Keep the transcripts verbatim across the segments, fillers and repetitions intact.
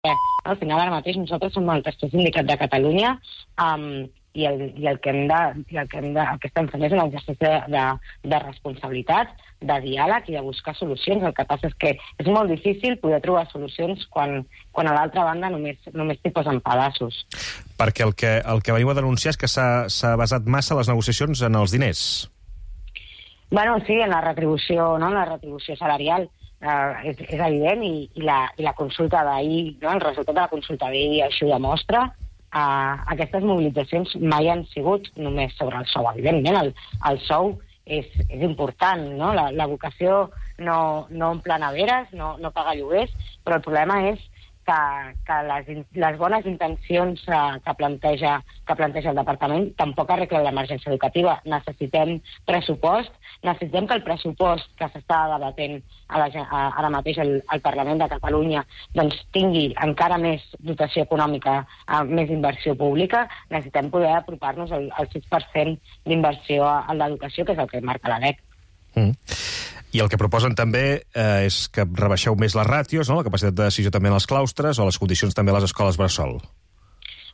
Al final, ara mateix, nosaltres som el tercer sindicat de Catalunya um, i, el, i, el que hem de, i el, que hem de, el que estem fent és un exercici de, de, de responsabilitat, de diàleg i de buscar solucions. El que passa és que és molt difícil poder trobar solucions quan, quan a l'altra banda només, només t'hi posen pedaços. Perquè el que, el que veniu a denunciar és que s'ha basat massa les negociacions en els diners. Bueno, sí, en la retribució, no? En la retribució salarial. Uh, és, és evident i, i, la, i la consulta d'ahir, no? El resultat de la consulta d'ahir així ho demostra. Uh, aquestes mobilitzacions mai han sigut només sobre el sou. Evidentment, el, el sou és, és important, no? La, la vocació no, no omple neveres, no, no paga lloguers, però el problema és que, que les, les bones intencions uh, que, planteja, que planteja el departament tampoc arreglen l'emergència educativa. Necessitem pressupost, necessitem que el pressupost que s'està debatent a la, a, ara mateix al, al Parlament de Catalunya doncs, tingui encara més dotació econòmica, uh, més inversió pública. Necessitem poder apropar-nos al, al sis per cent d'inversió a, a l'educació, que és el que marca la L E C. Mm. I el que proposen també eh, és que rebaixeu més les ràtios, no? La capacitat de decisió també en els claustres o les condicions també a les escoles bressol.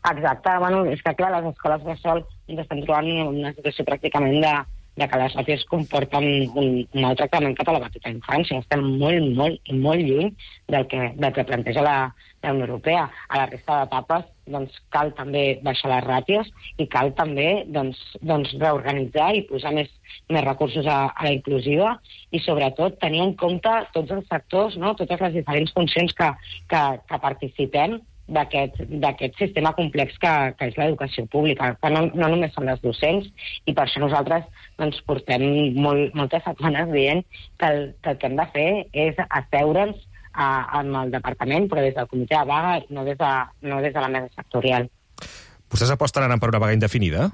Exacte. Bueno, és que clar, les escoles bressol ens estem trobant en una situació pràcticament de, de que les ràtios comporten un, un mal tractament cap a la petita infància. Estem molt, molt i molt lluny del que, del que planteja la, la Unió Europea. A la resta d'etapes doncs, cal també baixar les ràtios i cal també doncs, doncs, reorganitzar i posar més, més recursos a, a la inclusiva i sobretot tenir en compte tots els sectors, no? Totes les diferents funcions que, que, que participem d'aquest sistema complex que, que és l'educació pública, que no, no només són les docents, i per això nosaltres doncs, portem molt, moltes setmanes dient que el, que el que hem de fer és asseure'ns amb el departament, però des del comitè de vaga, no des de, no des de la mesa sectorial. Vostès aposten ara per una vaga indefinida?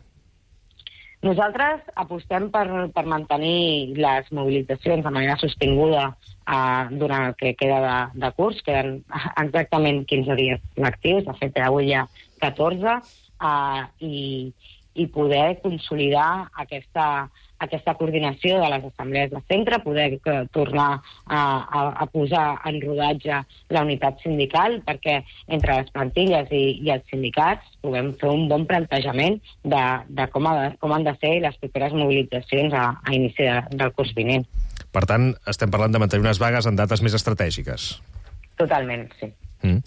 Nosaltres apostem per, per mantenir les mobilitzacions de manera sostinguda eh, durant el que queda de, de curs. Queden exactament quinze dies lectius, de fet avui hi ha catorze, eh, i, i poder consolidar aquesta, aquesta coordinació de les assemblees de centre, poder que, tornar a, a, a posar en rodatge la unitat sindical, perquè entre les plantilles i, i els sindicats puguem fer un bon plantejament de, de com, ha, com han de ser les properes mobilitzacions a, a inici de, del curs vinent. Per tant, estem parlant de mantenir unes vagues en dates més estratègiques. Totalment, sí. Mm.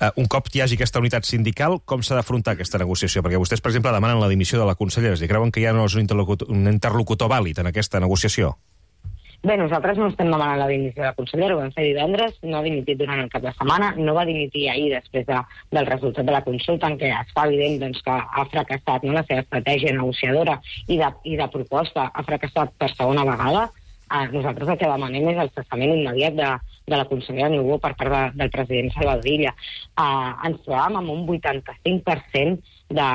Uh, un cop hi hagi aquesta unitat sindical, com s'ha d'afrontar aquesta negociació? Perquè vostès, per exemple, demanen la dimissió de la consellera. I creuen que ja no és un interlocutor, un interlocutor vàlid en aquesta negociació? Bé, nosaltres no estem demanant la dimissió de la consellera, ho vam fer divendres, no ha dimitit durant el cap de setmana, no va dimitir ahir després de, del resultat de la consulta, en què es fa evident doncs, que ha fracassat, no, la seva estratègia negociadora i de, i de proposta, ha fracassat per segona vegada. Uh, nosaltres el que demanem és el cessament immediat de, de la consellera Niubó per part de, del president Salvador Illa. Uh, ens trobàvem amb un vuitanta-cinc per cent de,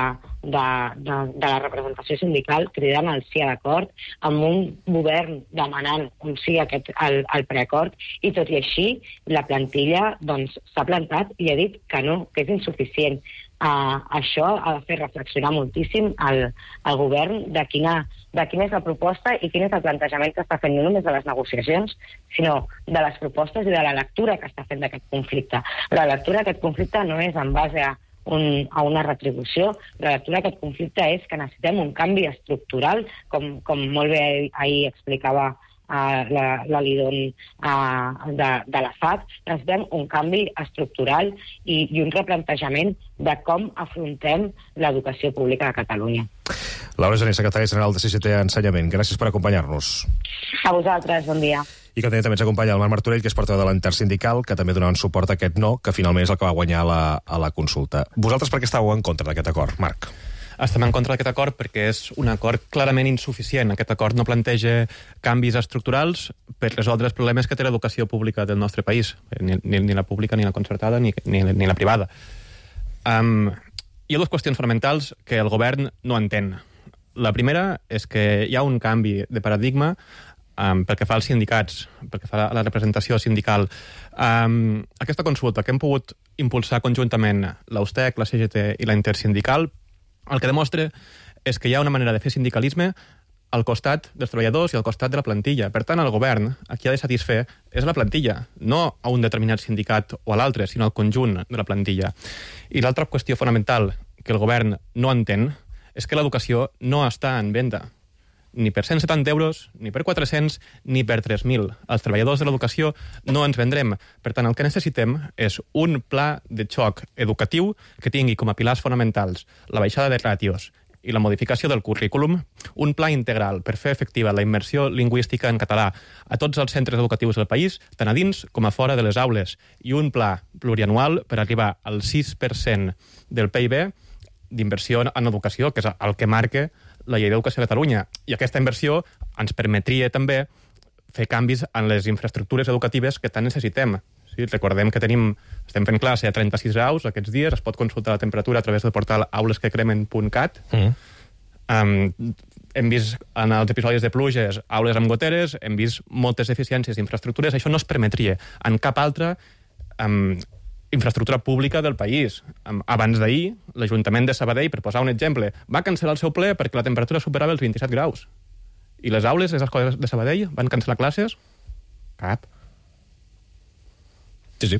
de, de, de la representació sindical cridant al sí a l'acord, amb un govern demanant un sí a aquest, al, al preacord, i tot i així la plantilla doncs, s'ha plantat i ha dit que no, que és insuficient. Uh, això ha de fer reflexionar moltíssim al, al govern de quina, de quina és la proposta i quin és el plantejament que està fent no només de les negociacions, sinó de les propostes i de la lectura que està fent d'aquest conflicte. La lectura d'aquest conflicte no és en base a, un, a una retribució, la lectura d'aquest conflicte és que necessitem un canvi estructural, com, com molt bé ahir explicava Uh, la, la Lidon uh, de, de la F A C, necessitem un canvi estructural i, i un replantejament de com afrontem l'educació pública de Catalunya. Laura Gené, secretària general de C G T Ensenyament, gràcies per acompanyar-nos. A vosaltres, bon dia. I que també ens acompanya el Marc Martorell, que és portaveu de l'Intersindical, que també donaven suport a aquest no, que finalment és el que va guanyar la, a la consulta. Vosaltres per què estàveu en contra d'aquest acord, Marc? Estem en contra d'aquest acord perquè és un acord clarament insuficient. Aquest acord no planteja canvis estructurals per resoldre els problemes que té l'educació pública del nostre país, ni, ni, ni la pública, ni la concertada, ni, ni, ni la privada. Um, hi ha dues qüestions fonamentals que el govern no entén. La primera és que hi ha un canvi de paradigma um, pel que fa als sindicats, pel que fa a la representació sindical. Um, aquesta consulta que hem pogut impulsar conjuntament la U S T E C, la C G T i la Intersindical, el que demostra és que hi ha una manera de fer sindicalisme al costat dels treballadors i al costat de la plantilla. Per tant, el govern a qui ha de satisfer és la plantilla, no a un determinat sindicat o a l'altre, sinó al conjunt de la plantilla. I l'altra qüestió fonamental que el govern no entén és que l'educació no està en venda. Ni per cent setanta euros, ni per quatre-cents, ni per tres mil. Els treballadors de l'educació no ens vendrem. Per tant, el que necessitem és un pla de xoc educatiu que tingui com a pilars fonamentals la baixada de ràtios i la modificació del currículum, un pla integral per fer efectiva la immersió lingüística en català a tots els centres educatius del país, tant a dins com a fora de les aules, i un pla plurianual per arribar al sis per cent del P I B d'inversió en educació, que és el que marca la llei d'educació de Catalunya. I aquesta inversió ens permetria també fer canvis en les infraestructures educatives que tant necessitem. Sí, recordem que tenim, estem fent classe a trenta-sis graus aquests dies, es pot consultar la temperatura a través del portal aulesquecremen punt cat. Mm. Um, hem vist en els episodis de pluges aules amb goteres, hem vist moltes deficiències d'infraestructures, això no es permetria en cap altra um, infraestructura pública del país. Um, abans d'ahir, l'Ajuntament de Sabadell, per posar un exemple, va cancel·lar el seu ple perquè la temperatura superava els vint-i-set graus. I les aules, les escoles de Sabadell, van cancel·lar classes? Cap. Sí, sí.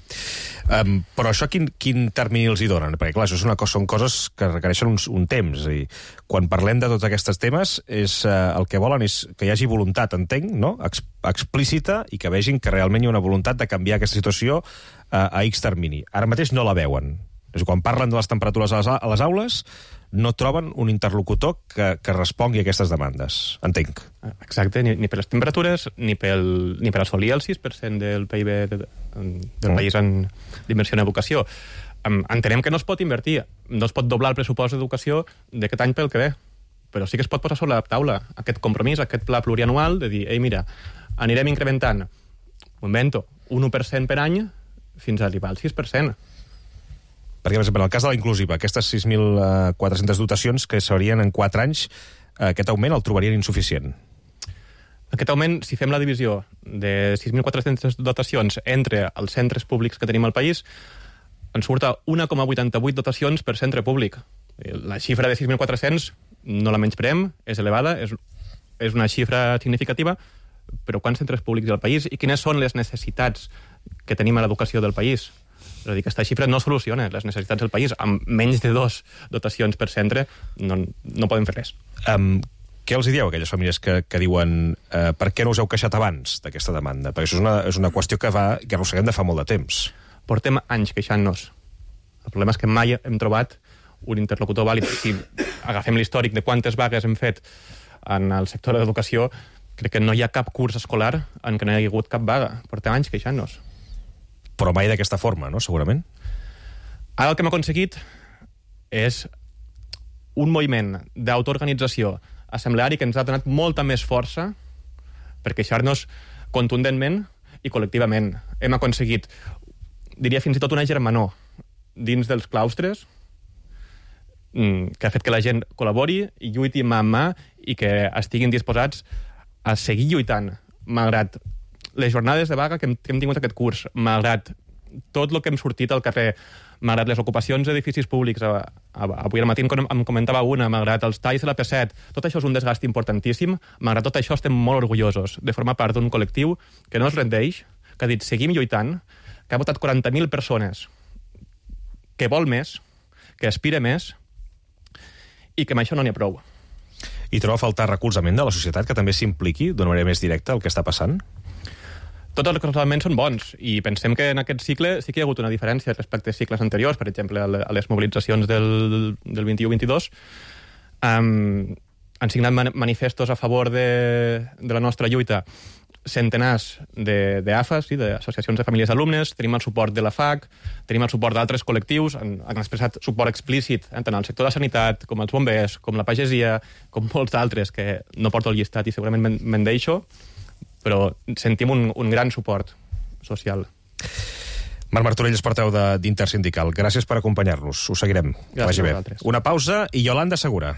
Um, però això quin, quin termini els hi donen? Perquè, clar, això és una cosa, són coses que requereixen un, un temps. És a dir, quan parlem de tots aquests temes, és, uh, el que volen és que hi hagi voluntat, entenc, no? Ex, explícita, i que vegin que realment hi ha una voluntat de canviar aquesta situació uh, a X termini. Ara mateix no la veuen. És a dir, quan parlen de les temperatures a les, a les aules, no troben un interlocutor que, que respongui a aquestes demandes, entenc. Exacte, ni, ni per les temperatures, ni, pel, ni per assolir el sis per cent del P I B de, de, del mm. país en d'inversió en educació. Um, entenem que no es pot invertir, no es pot doblar el pressupost d'educació d'aquest any pel que ve, però sí que es pot posar sobre la taula aquest compromís, aquest pla plurianual de dir, ei, mira, anirem incrementant, ho invento, un u per cent per any fins a arribar al sis per cent. Perquè, per exemple, en el cas de la inclusiva, aquestes sis mil quatre-centes dotacions que serien en quatre anys, aquest augment el trobarien insuficient. Aquest augment, si fem la divisió de sis mil quatre-centes dotacions entre els centres públics que tenim al país, ens surt a un coma vuitanta-vuit dotacions per centre públic. La xifra de sis mil quatre-cents no la menyspreem, és elevada, és, és una xifra significativa, però quants centres públics hi ha al país i quines són les necessitats que tenim a l'educació del país? És a dir, aquesta xifra no soluciona les necessitats del país. Amb menys de dos dotacions per centre no, no podem fer res. Um, què els dieu a aquelles famílies que, que diuen uh, per què no us heu queixat abans d'aquesta demanda? Perquè això és una, és una qüestió que, va, que arrosseguem de fa molt de temps. Portem anys queixant-nos. El problema és que mai hem trobat un interlocutor vàlid. Si agafem l'històric de quantes vagues hem fet en el sector de l'educació, crec que no hi ha cap curs escolar en què no hi ha hagut cap vaga. Portem anys queixant-nos. Però mai d'aquesta forma, no?, segurament. Ara el que hem aconseguit és un moviment d'autoorganització assembleari que ens ha donat molta més força per queixar-nos contundentment i col·lectivament. Hem aconseguit, diria fins i tot una germanor dins dels claustres que ha fet que la gent col·labori i lluiti mà amb mà i que estiguin disposats a seguir lluitant, malgrat les jornades de vaga que hem, que hem tingut aquest curs, malgrat tot el que hem sortit al carrer, malgrat les ocupacions d'edificis públics, a, a, avui al matí em comentava una, malgrat els talls de la P set, tot això és un desgast importantíssim, malgrat tot això estem molt orgullosos de formar part d'un col·lectiu que no es rendeix, que ha dit seguim lluitant, que ha votat quaranta mil persones, que vol més, que aspira més, i que amb això no n'hi ha prou. I troba a faltar recolzament de la societat que també s'impliqui d'una manera més directa el que està passant? Tots els recolzaments són bons i pensem que en aquest cicle sí que hi ha hagut una diferència respecte a cicles anteriors, per exemple, a les mobilitzacions del, del vint-i-u vint-i-dos. Um, han signat manifestos a favor de, de la nostra lluita centenars d'A F A, sí, d'associacions de famílies d'alumnes, tenim el suport de la F A C, tenim el suport d'altres col·lectius, han, han expressat suport explícit tant al sector de la sanitat, com els bombers, com la pagesia, com molts d'altres, que no porto el llistat i segurament me'n deixo, però sentim un, un gran suport social. Marc Martorell és portaveu d'Intersindical. Gràcies per acompanyar-nos. Ho seguirem. Gràcies a vosaltres. Una pausa i Yolanda Segura.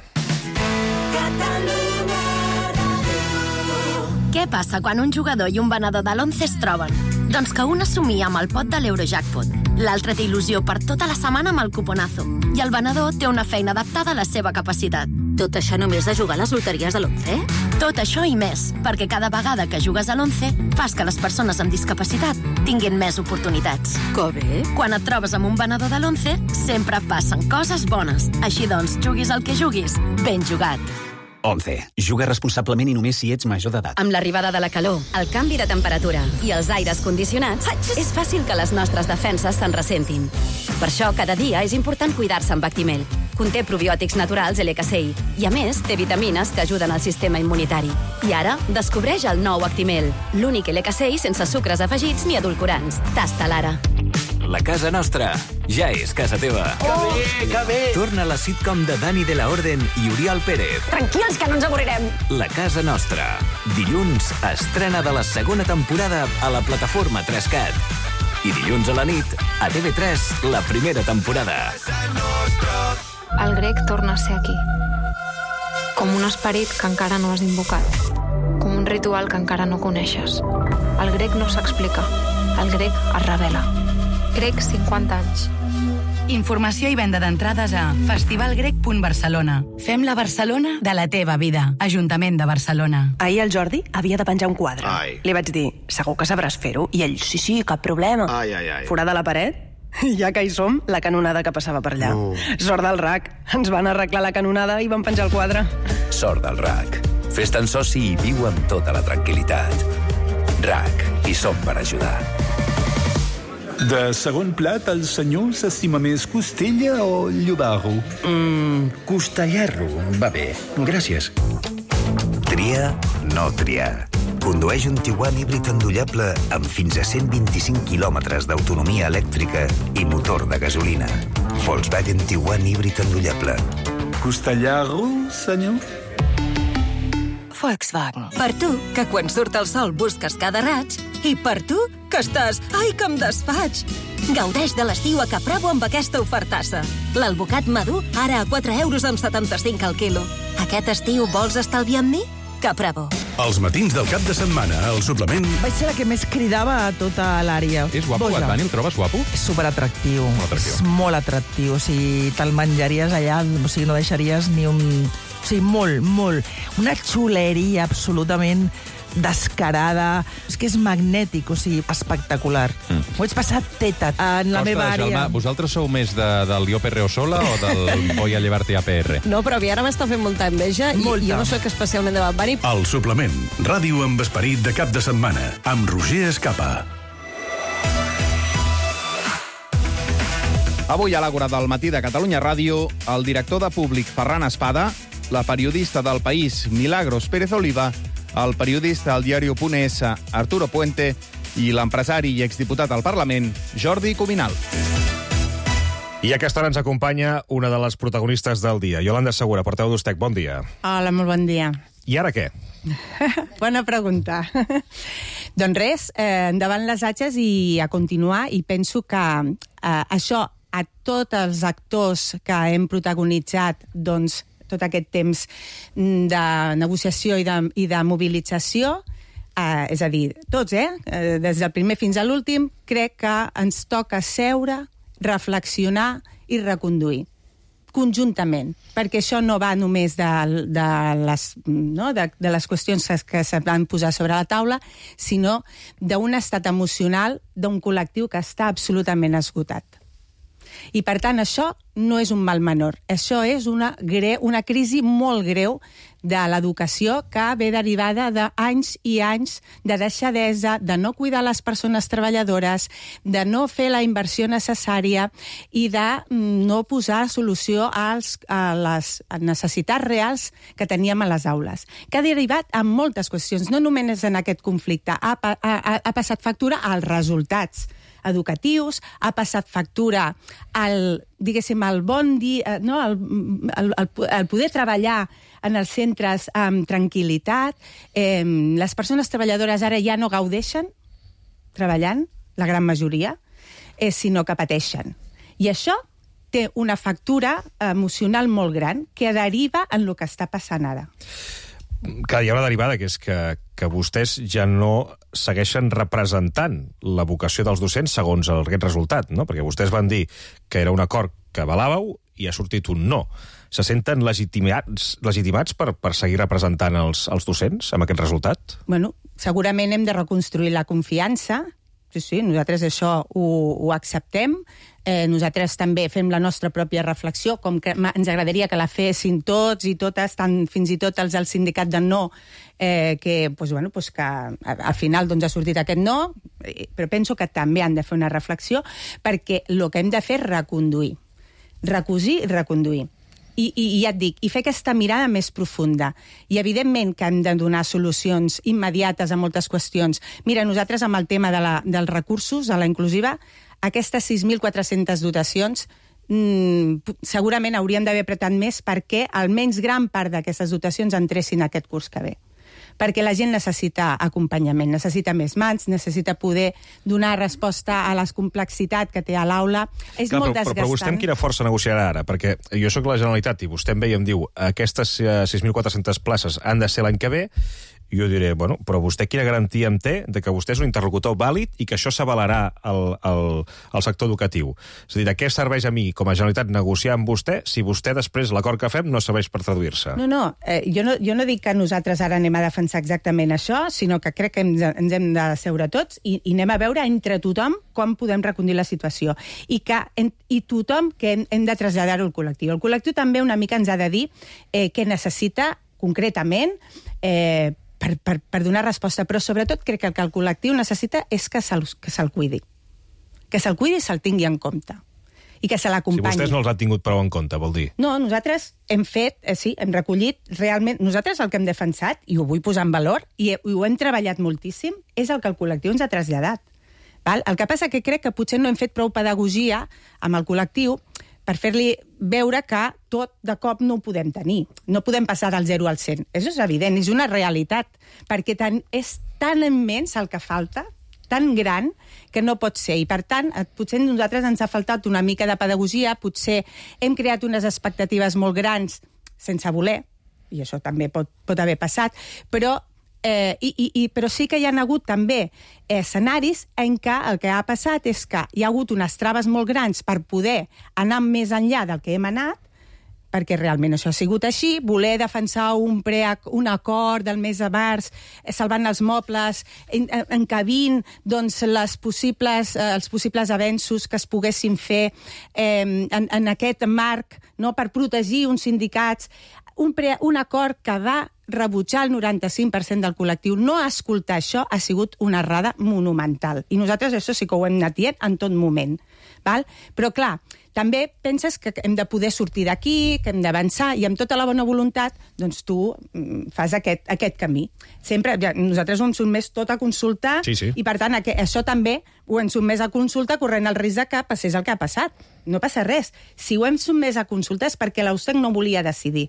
Què passa quan un jugador i un venedor de l'Once es troben? Doncs que un assumia amb el pot de l'Eurojackpot, l'altre té il·lusió per tota la setmana amb el cuponazo, i el venedor té una feina adaptada a la seva capacitat. Tot això només de jugar a les loteries de l'Once? Tot això i més, perquè cada vegada que jugues a l'Once fas que les persones amb discapacitat tinguin més oportunitats. Que bé! Quan et trobes amb un venedor de l'Once, sempre passen coses bones. Així doncs, juguis el que juguis, ben jugat. Once. Juga responsablement i només si ets major d'edat. Amb l'arribada de la calor, el canvi de temperatura i els aires condicionats, és fàcil que les nostres defenses se'n ressentin. Per això, cada dia és important cuidar-se amb Actimel. Conté probiòtics naturals L K C I i, a més, té vitamines que ajuden al sistema immunitari. I ara, descobreix el nou Actimel, l'únic L K C I sense sucres afegits ni edulcorants. Tasta-la ara. La casa nostra ja és casa teva. Que bé, que bé! Torna la sitcom de Dani de la Orden i Oriol Pérez. Tranquils, que no ens avorrirem. La casa nostra. Dilluns, estrena de la segona temporada a la plataforma tres cat. I dilluns a la nit, a T V tres, la primera temporada. El grec torna a ser aquí. Com un esperit que encara no has invocat. Com un ritual que encara no coneixes. El grec no s'explica. El grec es revela. Grec, cinquanta anys. Informació i venda d'entrades a festivalgrec punt barcelona. Fem la Barcelona de la teva vida. Ajuntament de Barcelona. Ahir el Jordi havia de penjar un quadre. Ai. Li vaig dir, segur que sabràs fer-ho? I ell, sí, sí, cap problema. Ai, ai, ai. Forat de la paret? Ja que hi som, la canonada que passava per allà. No. Sort del R A C. Ens van arreglar la canonada i van penjar el quadre. Sort del R A C. Fes-te'n soci i viu amb tota la tranquil·litat. R A C. Hi som per ajudar. De segon plat, el senyor s'estima més costella o llobarro? Mmm, costellarro. Va bé, gràcies. Tria, no triar. Condueix un Tiguan híbrid endollable amb fins a cent vint-i-cinc quilòmetres d'autonomia elèctrica i motor de gasolina. Volkswagen Tiguan híbrid endollable. Costellarro, senyor? Volkswagen. Per tu, que quan surt el sol busques cada raig, i per tu, que estàs... Ai, que em desfaig! Gaudeix de l'estiu a Capravo amb aquesta ofertassa. L'alvocat madur, ara a quatre euros amb setanta-cinc al quilo. Aquest estiu vols estalviar amb mi? Capravo. Els matins del cap de setmana, el suplement... Vaig ser la que més cridava a tota l'àrea. És guapo, Boja. Dani, el trobes guapo? És superatractiu. Molt atractiu. És molt atractiu. O sigui, te'l menjaries allà, o sigui, no deixaries ni un... O sigui, molt, molt. Una xuleria absolutament descarada. És que és magnètic, o sigui, espectacular. Mm. Ho vaig passar teta en la Costa meva àrea. Gelma, vosaltres sou més de, del Jo Perreo Sola o del Voy a llevarte a P R? No, però a mi ara m'està fent molta enveja i Molta. jo no soc especialment de Bad Bunny. El suplement. Ràdio amb esperit de cap de setmana. Amb Roger Escapa. Avui a l'Àgora del matí de Catalunya Ràdio, el director de Públic Ferran Espada, la periodista del País Milagros Pérez Oliva, el periodista al diari Punt Es Arturo Puente i l'empresari i exdiputat al Parlament Jordi Cuminal. I a aquesta hora ens acompanya una de les protagonistes del dia, Iolanda Segura, portaveu d'Ustec. Bon dia. Hola, molt bon dia. I ara què? Bona pregunta. Doncs res, eh, endavant les atxes i a continuar, i penso que eh, això a tots els actors que hem protagonitzat doncs, tot aquest temps de negociació i de, i de mobilització, eh, és a dir, tots, eh? Des del primer fins a l'últim, crec que ens toca seure, reflexionar i reconduir conjuntament, perquè això no va només de, de, les, no? de, de les qüestions que se van posar sobre la taula, sinó d'un estat emocional d'un col·lectiu que està absolutament esgotat. I, per tant, això no és un mal menor. Això és una, greu, una crisi molt greu de l'educació que ve derivada d'anys i anys de deixadesa, de no cuidar les persones treballadores, de no fer la inversió necessària i de no posar solució als, a les necessitats reals que teníem a les aules, que ha derivat en moltes qüestions, no només en aquest conflicte, ha, ha, ha passat factura als resultats educatius, ha passat factura al, diguéssim, al bon dia, no? al, al, al poder treballar en els centres amb tranquil·litat. Eh, les persones treballadores ara ja no gaudeixen treballant, la gran majoria, eh, sinó que pateixen. I això té una factura emocional molt gran que deriva en el que està passant ara. Que hi ha una derivada, que és que, que vostès ja no segueixen representant la vocació dels docents segons aquest resultat, no? Perquè vostès van dir que era un acord que avalàveu i ha sortit un no. Se senten legitimats, legitimats per, per seguir representant els, els docents amb aquest resultat? Bueno, segurament hem de reconstruir la confiança. Sí, sí, nosaltres això ho, ho acceptem. Eh, nosaltres també fem la nostra pròpia reflexió, com que ens agradaria que la fessin tots i totes, tant fins i tot els del sindicat de no, eh, que, pues, bueno, pues que al final doncs, ha sortit aquest no, però penso que també han de fer una reflexió, perquè el que hem de fer és reconduir. Recosir i reconduir. I, i, i ja et dic, i fer aquesta mirada més profunda. I evidentment que hem de donar solucions immediates a moltes qüestions. Mira, nosaltres amb el tema de la, dels recursos a la inclusiva, aquestes sis mil quatre-centes dotacions mmm, segurament hauríem d'haver apretat més perquè almenys gran part d'aquestes dotacions entressin aquest curs que ve. Perquè la gent necessita acompanyament, necessita més mans, necessita poder donar resposta a la complexitat que té a l'aula. És Clar, molt però, desgastant. però vostè amb quina força negociarà ara? Perquè jo sóc la Generalitat i vostè em ve i em diu aquestes sis mil quatre-centes places han de ser l'any que ve, i jo diré, bueno, però vostè quina garantia em té de que vostè és un interlocutor vàlid i que això s'avalarà al, al, al sector educatiu? És a dir, de què serveix a mi, com a Generalitat, negociar amb vostè si vostè després l'acord que fem no serveix per traduir-se? No, no, eh, jo no, jo no dic que nosaltres ara anem a defensar exactament això, sinó que crec que ens, ens hem de seure tots i, i anem a veure entre tothom com podem reconduir la situació. I, que, en, i tothom que hem, hem de traslladar-ho al col·lectiu. El col·lectiu també una mica ens ha de dir eh, què necessita concretament eh, Per, per, per donar resposta, però sobretot crec que el que el col·lectiu necessita és que se'l que se'l cuidi. Que se'l cuidi i se'l tingui en compte. I que se l'acompanyi. Si vostès no els han tingut prou en compte, vol dir? No, nosaltres hem fet, eh, sí, hem recollit realment... Nosaltres el que hem defensat, i ho vull posar en valor, i, i ho hem treballat moltíssim, és el que el col·lectiu ens ha traslladat. Val? El que passa que crec que potser no hem fet prou pedagogia amb el col·lectiu per fer-li veure que tot de cop no ho podem tenir. No podem passar del zero al cent. Això és evident, és una realitat, perquè tan, és tan immens el que falta, tan gran, que no pot ser. I, per tant, potser a nosaltres ens ha faltat una mica de pedagogia, potser hem creat unes expectatives molt grans sense voler, i això també pot, pot haver passat, però Eh, i, i, i, però sí que hi ha hagut també escenaris en què el que ha passat és que hi ha hagut unes traves molt grans per poder anar més enllà del que hem anat, perquè realment això ha sigut així, voler defensar un, pre, un acord del mes de març, salvant els mobles, en, encabint doncs, les possibles, eh, els possibles avenços que es poguessin fer eh, en, en aquest marc, no, per protegir uns sindicats, un, pre, un acord que va rebutjar el noranta-cinc per cent del col·lectiu. No escoltar això ha sigut una errada monumental. I nosaltres això sí que ho hem anat dient en tot moment. Val? Però, clar, també penses que hem de poder sortir d'aquí, que hem d'avançar, i amb tota la bona voluntat, doncs tu fas aquest, aquest camí. Sempre, ja, nosaltres ho hem sotmès tot a consulta, sí, sí. I per tant aqu això també ho hem sotmès a consulta corrent el risc de que passés el que ha passat. No passa res. Si ho hem sotmès a consulta és perquè l'U S E C no volia decidir.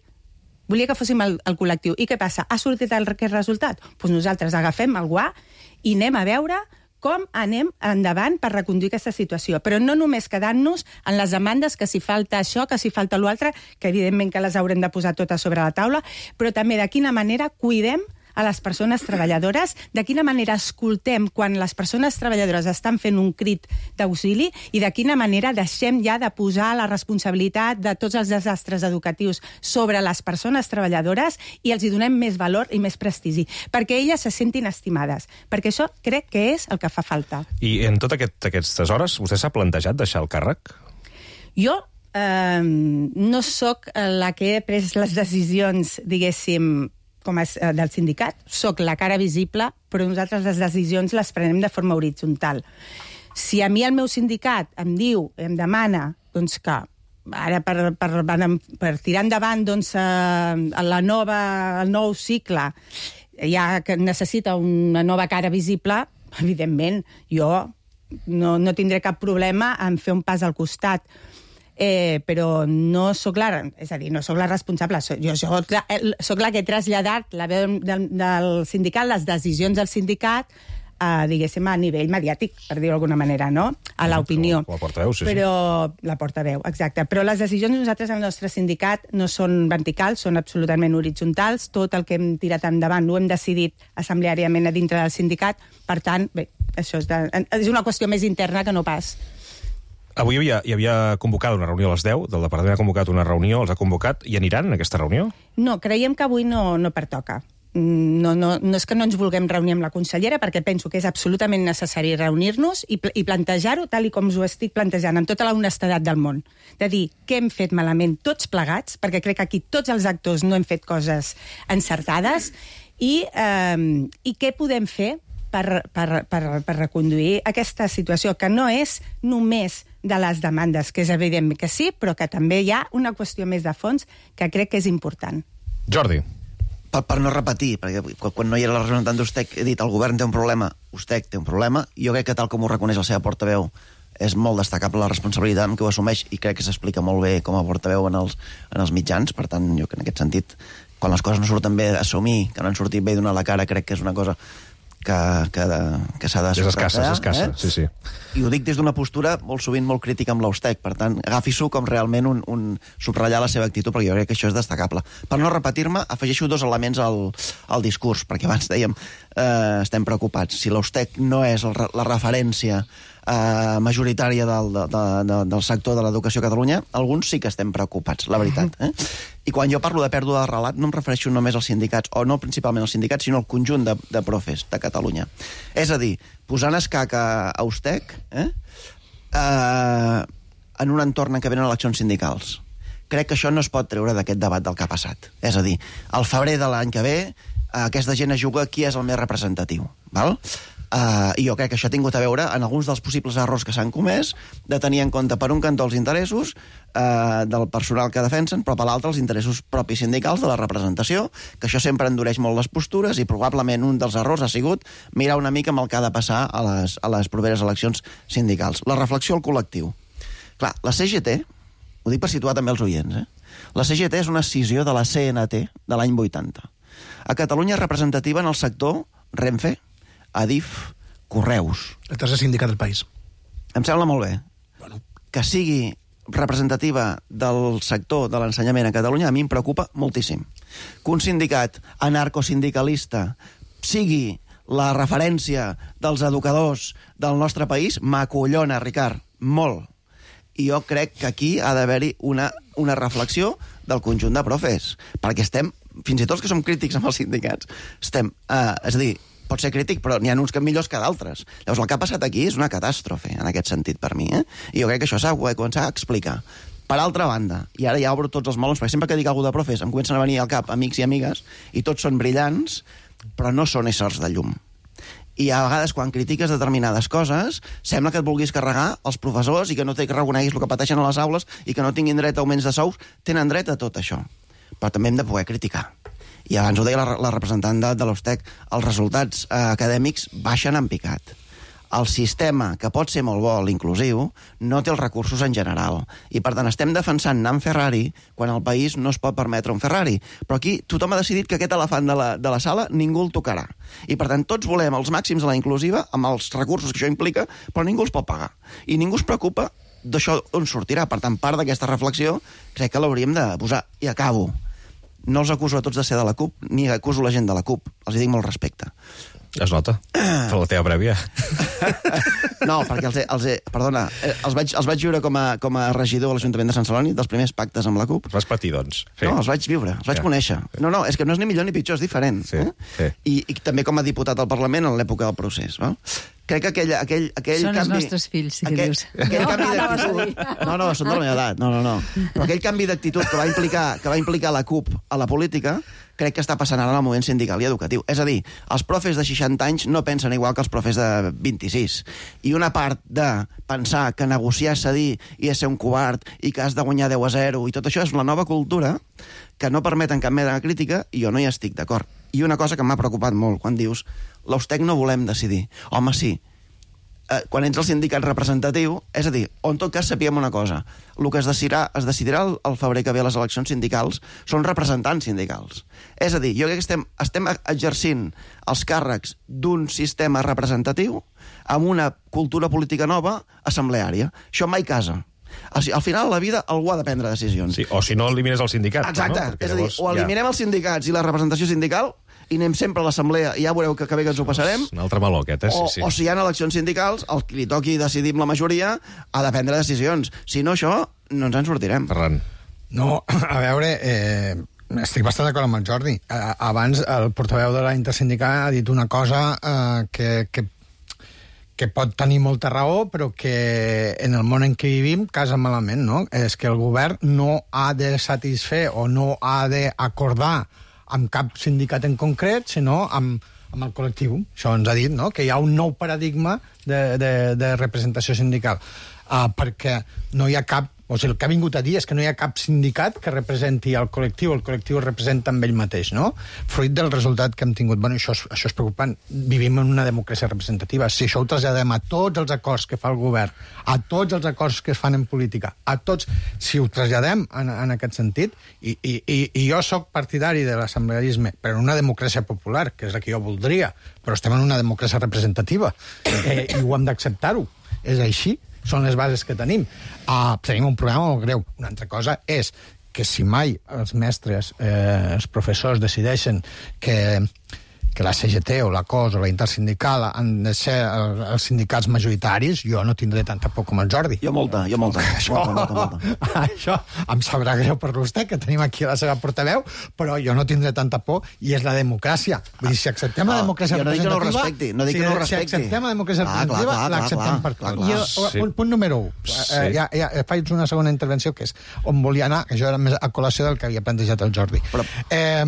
Volia que fóssim el, el col·lectiu. I què passa? Ha sortit el, aquest resultat? Doncs nosaltres agafem el guà i anem a veure com anem endavant per reconduir aquesta situació. Però no només quedant-nos en les demandes que si falta això, que si falta l'altre, que evidentment que les haurem de posar totes sobre la taula, però també de quina manera cuidem a les persones treballadores, de quina manera escoltem quan les persones treballadores estan fent un crit d'auxili i de quina manera deixem ja de posar la responsabilitat de tots els desastres educatius sobre les persones treballadores i els hi donem més valor i més prestigi, perquè elles se sentin estimades, perquè això crec que és el que fa falta. I en totes aquest, aquestes hores, vostè s'ha plantejat deixar el càrrec? Jo eh, no sóc la que he pres les decisions, diguéssim, com a, del sindicat, sóc la cara visible, però nosaltres les decisions les prenem de forma horitzontal. Si a mi el meu sindicat em diu, em demana, doncs que ara per, per, per tirar endavant doncs, la nova, el nou cicle, ja que necessita una nova cara visible, evidentment, jo no, no tindré cap problema en fer un pas al costat. Eh, però no sóc la, és a dir, no sóc la responsable, so, jo sóc la, sóc la que he traslladat la veu del, del sindicat, les decisions del sindicat, a, diguéssim, a nivell mediàtic, per dir-ho d'alguna manera, no? A l'opinió. La portaveu, sí, sí. Però, la portaveu, exacte. Però les decisions nosaltres al nostre sindicat no són verticals, són absolutament horitzontals. Tot el que hem tirat endavant ho hem decidit assembleàriament a dintre del sindicat. Per tant, bé, això és, de, és una qüestió més interna que no pas... Avui hi havia, hi havia convocat una reunió a les deu, del departament ha convocat una reunió, els ha convocat, i aniran en aquesta reunió? No, creiem que avui no, no pertoca. No, no, no és que no ens vulguem reunir amb la consellera, perquè penso que és absolutament necessari reunir-nos i, i plantejar-ho tal i com us ho estic plantejant, amb tota la honestedat del món. De dir què hem fet malament tots plegats, perquè crec que aquí tots els actors no hem fet coses encertades, i, eh, i què podem fer per, per, per, per reconduir aquesta situació, que no és només de les demandes, que és evident que sí, però que també hi ha una qüestió més de fons que crec que és important. Jordi. Per, per no repetir, perquè quan no hi era la representant d'Ustec he dit el govern té un problema, Ustec té un problema, i jo crec que tal com ho reconeix la seva portaveu és molt destacable la responsabilitat amb què ho assumeix i crec que s'explica molt bé com a portaveu en els, en els mitjans, per tant jo que en aquest sentit quan les coses no surten bé assumir que no han sortit bé i donar la cara crec que és una cosa que, que, que s'ha de... És escassa, és escassa, eh? sí, sí. I ho dic des d'una postura molt sovint molt crítica amb l'Ustec, per tant, agafi-s'ho com realment un, un subratllar la seva actitud, perquè jo crec que això és destacable. Per no repetir-me, afegeixo dos elements al, al discurs, perquè abans dèiem eh, estem preocupats. Si l'Ustec no és el, la referència Uh, majoritària del, de, de, del sector de l'educació a Catalunya, alguns sí que estem preocupats, la veritat. Eh? I quan jo parlo de pèrdua de relat no em refereixo només als sindicats, o no principalment als sindicats, sinó al conjunt de, de profes de Catalunya. És a dir, posant escac a, a Ustec eh? Uh, en un entorn en què venen eleccions sindicals. Crec que això no es pot treure d'aquest debat del que ha passat. És a dir, al febrer de l'any que ve uh, aquesta gent es juga qui és el més representatiu. Val? Uh, I jo crec que això ha tingut a veure en alguns dels possibles errors que s'han comès, de tenir en compte per un cantó els interessos uh, del personal que defensen, però per l'altre els interessos propis sindicals de la representació, que això sempre endureix molt les postures i probablement un dels errors ha sigut mirar una mica amb el que ha de passar a les, a les properes eleccions sindicals. La reflexió al col·lectiu. Clar, la C G T, ho dic per situar també els oients, eh? La C G T és una escissió de la C N T de l'any vuitanta. A Catalunya és representativa en el sector Renfe, Adif, Correus. El tercer sindicat del país. Em sembla molt bé. Bueno. Que sigui representativa del sector de l'ensenyament a Catalunya a mi em preocupa moltíssim. Que un sindicat anarcosindicalista sigui la referència dels educadors del nostre país m'acollona, Ricard, molt. I jo crec que aquí ha d'haver-hi una, una reflexió del conjunt de profes, perquè estem, fins i tot els que som crítics amb els sindicats, estem, eh, és a dir, pot ser crític, però n'hi ha uns que millors que d'altres. Llavors, el que ha passat aquí és una catàstrofe, en aquest sentit, per mi. Eh? I jo crec que això s'ha de començar a explicar. Per altra banda, i ara ja obro tots els melons, perquè sempre que dic alguna de profes em comencen a venir al cap amics i amigues, i tots són brillants, però no són éssers de llum. I a vegades, quan critiques determinades coses, sembla que et vulguis carregar els professors i que no te reconeguis el que pateixen a les aules i que no tinguin dret a augments de sous. Tenen dret a tot això. Però també hem de poder criticar. I abans ho deia la, la representant de, de l'Ustec, els resultats eh, acadèmics baixen en picat. El sistema, que pot ser molt bo, l'inclusiu, no té els recursos en general. I, per tant, estem defensant anar amb Ferrari quan el país no es pot permetre un Ferrari. Però aquí tothom ha decidit que aquest elefant de la, de la sala ningú el tocarà. I, per tant, tots volem els màxims de la inclusiva, amb els recursos que això implica, però ningú els pot pagar. I ningú es preocupa d'això on sortirà. Per tant, part d'aquesta reflexió crec que l'hauríem de posar. I acabo. No els acuso a tots de ser de la CUP, ni acuso la gent de la CUP. Els dic molt respecte. Es nota, per la teva prèvia. No, perquè els he, els he, perdona, els vaig, els vaig viure com a, com a regidor a l'Ajuntament de Sant Celoni, dels primers pactes amb la CUP. Els vas patir, doncs. Sí. No, els vaig viure, els vaig ja. conèixer. No, no, és que no és ni millor ni pitjor, és diferent. Sí, eh? sí. I, I també com a diputat al Parlament en l'època del procés. No? Crec que aquell, aquell, aquell són canvi... els nostres fills, sí que aquell, dius. Aquell canvi d'actitud... No, no, són de la meva edat, no, no, no. Però aquell canvi d'actitud que va implicar que va implicar la CUP a la política, crec que està passant ara en el moviment sindical i educatiu. És a dir, els profes de seixanta anys no pensen igual que els profes de vint-i-sis. I una part de pensar que negociar és cedir i és ser un covard i que has de guanyar deu a zero i tot això és la nova cultura que no permeten cap mena de crítica i jo no hi estic d'acord. I una cosa que m'ha preocupat molt, quan dius l'Ustec no volem decidir. Home, sí, eh, quan ets el sindicat representatiu, és a dir, o en tot cas sapiem una cosa, el que es decidirà, es decidirà el, el febrer que ve a les eleccions sindicals són representants sindicals. És a dir, jo crec que estem, estem exercint els càrrecs d'un sistema representatiu amb una cultura política nova assembleària. Això mai casa. Al final, a la vida, algú ha de prendre decisions. Sí, o si no, elimines el sindicat. Exacte. No? És a dir, o eliminem ja... els sindicats i la representació sindical i anem sempre a l'assemblea i ja veureu que, que bé que ens ho passarem. Un altre meló, aquest, eh? O, Sí, sí. o si hi ha eleccions sindicals, el que li toqui decidir amb la majoria ha de prendre decisions. Si no, això no ens en sortirem. Ferran. No, a veure, eh, estic bastant d'acord amb el Jordi. Eh, abans el portaveu de la Intersindical ha dit una cosa eh, que, que, que pot tenir molta raó, però que en el món en què vivim casa malament, no? És que el govern no ha de satisfer o no ha d'acordar amb cap sindicat en concret, sinó amb, amb el col·lectiu. Això ens ha dit, no?, que hi ha un nou paradigma de, de, de representació sindical. Uh, perquè no hi ha cap... O sigui, el que ha vingut a dir és que no hi ha cap sindicat que representi el col·lectiu, el col·lectiu es representa amb ell mateix, no? Fruit del resultat que hem tingut. Bueno, això és, això és preocupant. Vivim en una democràcia representativa. Si això ho traslladem a tots els acords que fa el govern, a tots els acords que es fan en política, a tots, si ho traslladem en, en aquest sentit, i, i, i jo sóc partidari de l'assemblearisme, però en una democràcia popular, que és la que jo voldria, però estem en una democràcia representativa, eh, i ho hem d'acceptar-ho. És així. Són les bases que tenim. Uh, tenim un problema molt greu. Una altra cosa és que si mai els mestres, eh, els professors decideixen que, que la C G T o la C O S o la Intersindical han de ser el, els sindicats majoritaris, jo no tindré tanta por com el Jordi. Jo molta, jo molta. Això, molta, molta, molta. Això em sabrà greu per vostè, que tenim aquí la seva portaveu, però jo no tindré tanta por, i és la democràcia. Vull dir, si acceptem la democràcia jo no dic que no representativa... respecti, no dic que no respecti. Si acceptem la democràcia Ah, representativa, clar, clar, l'acceptem clar, per clar, tot. clar. Jo, Sí. punt, punt número un. Sí. Eh, ja, ja faig una segona intervenció, que és on volia anar, que això era més a col·lació del que havia plantejat el Jordi. Però... Eh,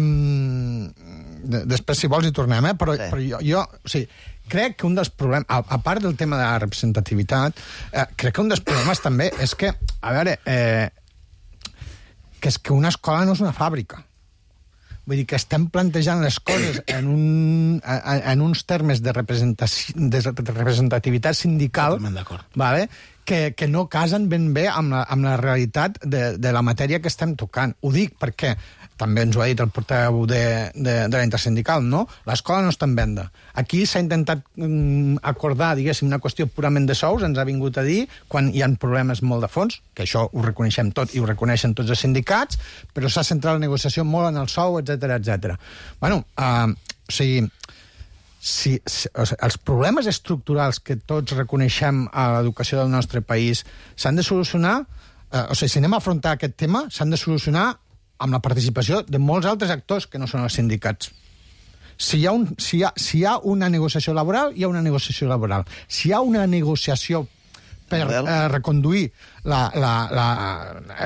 després, si vols, hi tornem, eh? Però, sí. però jo, jo, o sigui, crec que un dels problemes, a, a part del tema de la representativitat, eh, crec que un dels problemes també és que, a veure, eh, que és que una escola no és una fàbrica. Vull dir que estem plantejant les coses en, un, en, en uns termes de, de representativitat sindical, vale? que, que no casen ben bé amb la, amb la realitat de, de la matèria que estem tocant. Ho dic perquè també ens ho ha dit el portaveu de, de, de la Intersindical, no? L'escola no està en venda. Aquí s'ha intentat mm, acordar, diguéssim, una qüestió purament de sous, ens ha vingut a dir, quan hi ha problemes molt de fons, que això ho reconeixem tot i ho reconeixen tots els sindicats, però s'ha centrat la negociació molt en el sou, etcètera, etcètera. Bueno, uh, o sigui, si, si, o sigui, els problemes estructurals que tots reconeixem a l'educació del nostre país s'han de solucionar, uh, o sigui, si anem a afrontar aquest tema, s'han de solucionar amb la participació de molts altres actors que no són els sindicats. Si hi ha, un, si hi ha, si hi ha una negociació laboral, hi ha una negociació laboral. Si hi ha una negociació per eh, reconduir la, la, la,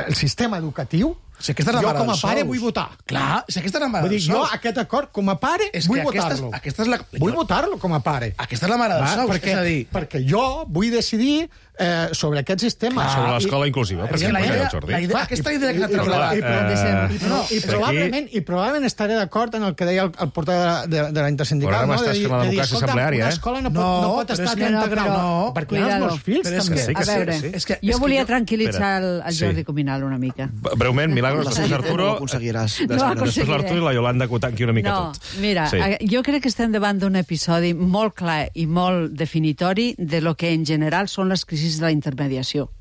el sistema educatiu, si aquesta és la jo mare com a dels pare sous. vull votar. Clar, si aquesta és la mare Vull dir, dels jo sous. aquest acord, com a pare, És vull que aquesta és- votar-lo. aquesta és la- Vull votar-lo com a pare. Aquesta és la mare dels Va? sous, perquè, és a dir- perquè jo vull decidir eh, sobre aquest sistema. Clar, sobre l'escola inclusiva, per És que exemple, la idea, el Jordi. la idea, aquesta idea que I, ha i, traslladat... i, i, i, no, i, Aquí- probablement, I probablement estaré d'acord en el que deia el, el portaveu de, de, de la Intersindical. Però ara no? m'estàs De dir- fent la de dir, democràcia escolta, assembleària, una eh? escola no pot, No, no pot però estar és a que trenta no, graus. no, perquè hi ha els cuidado. meus fills, Però és també. que- sí, A sí, veure, sí. És que- jo és volia que jo- tranquil·litzar el, el Sí. Jordi Cuminal una mica. Breument, Milagros, La després C G T Arturo, no ho aconseguiràs. No ho després aconseguiré. l'Arturo i la Iolanda acotant aquí una mica No, tot. mira, Sí. sí. jo crec que estem davant d'un episodi molt clar i molt definitori de lo que en general són les crisis de la intermediació,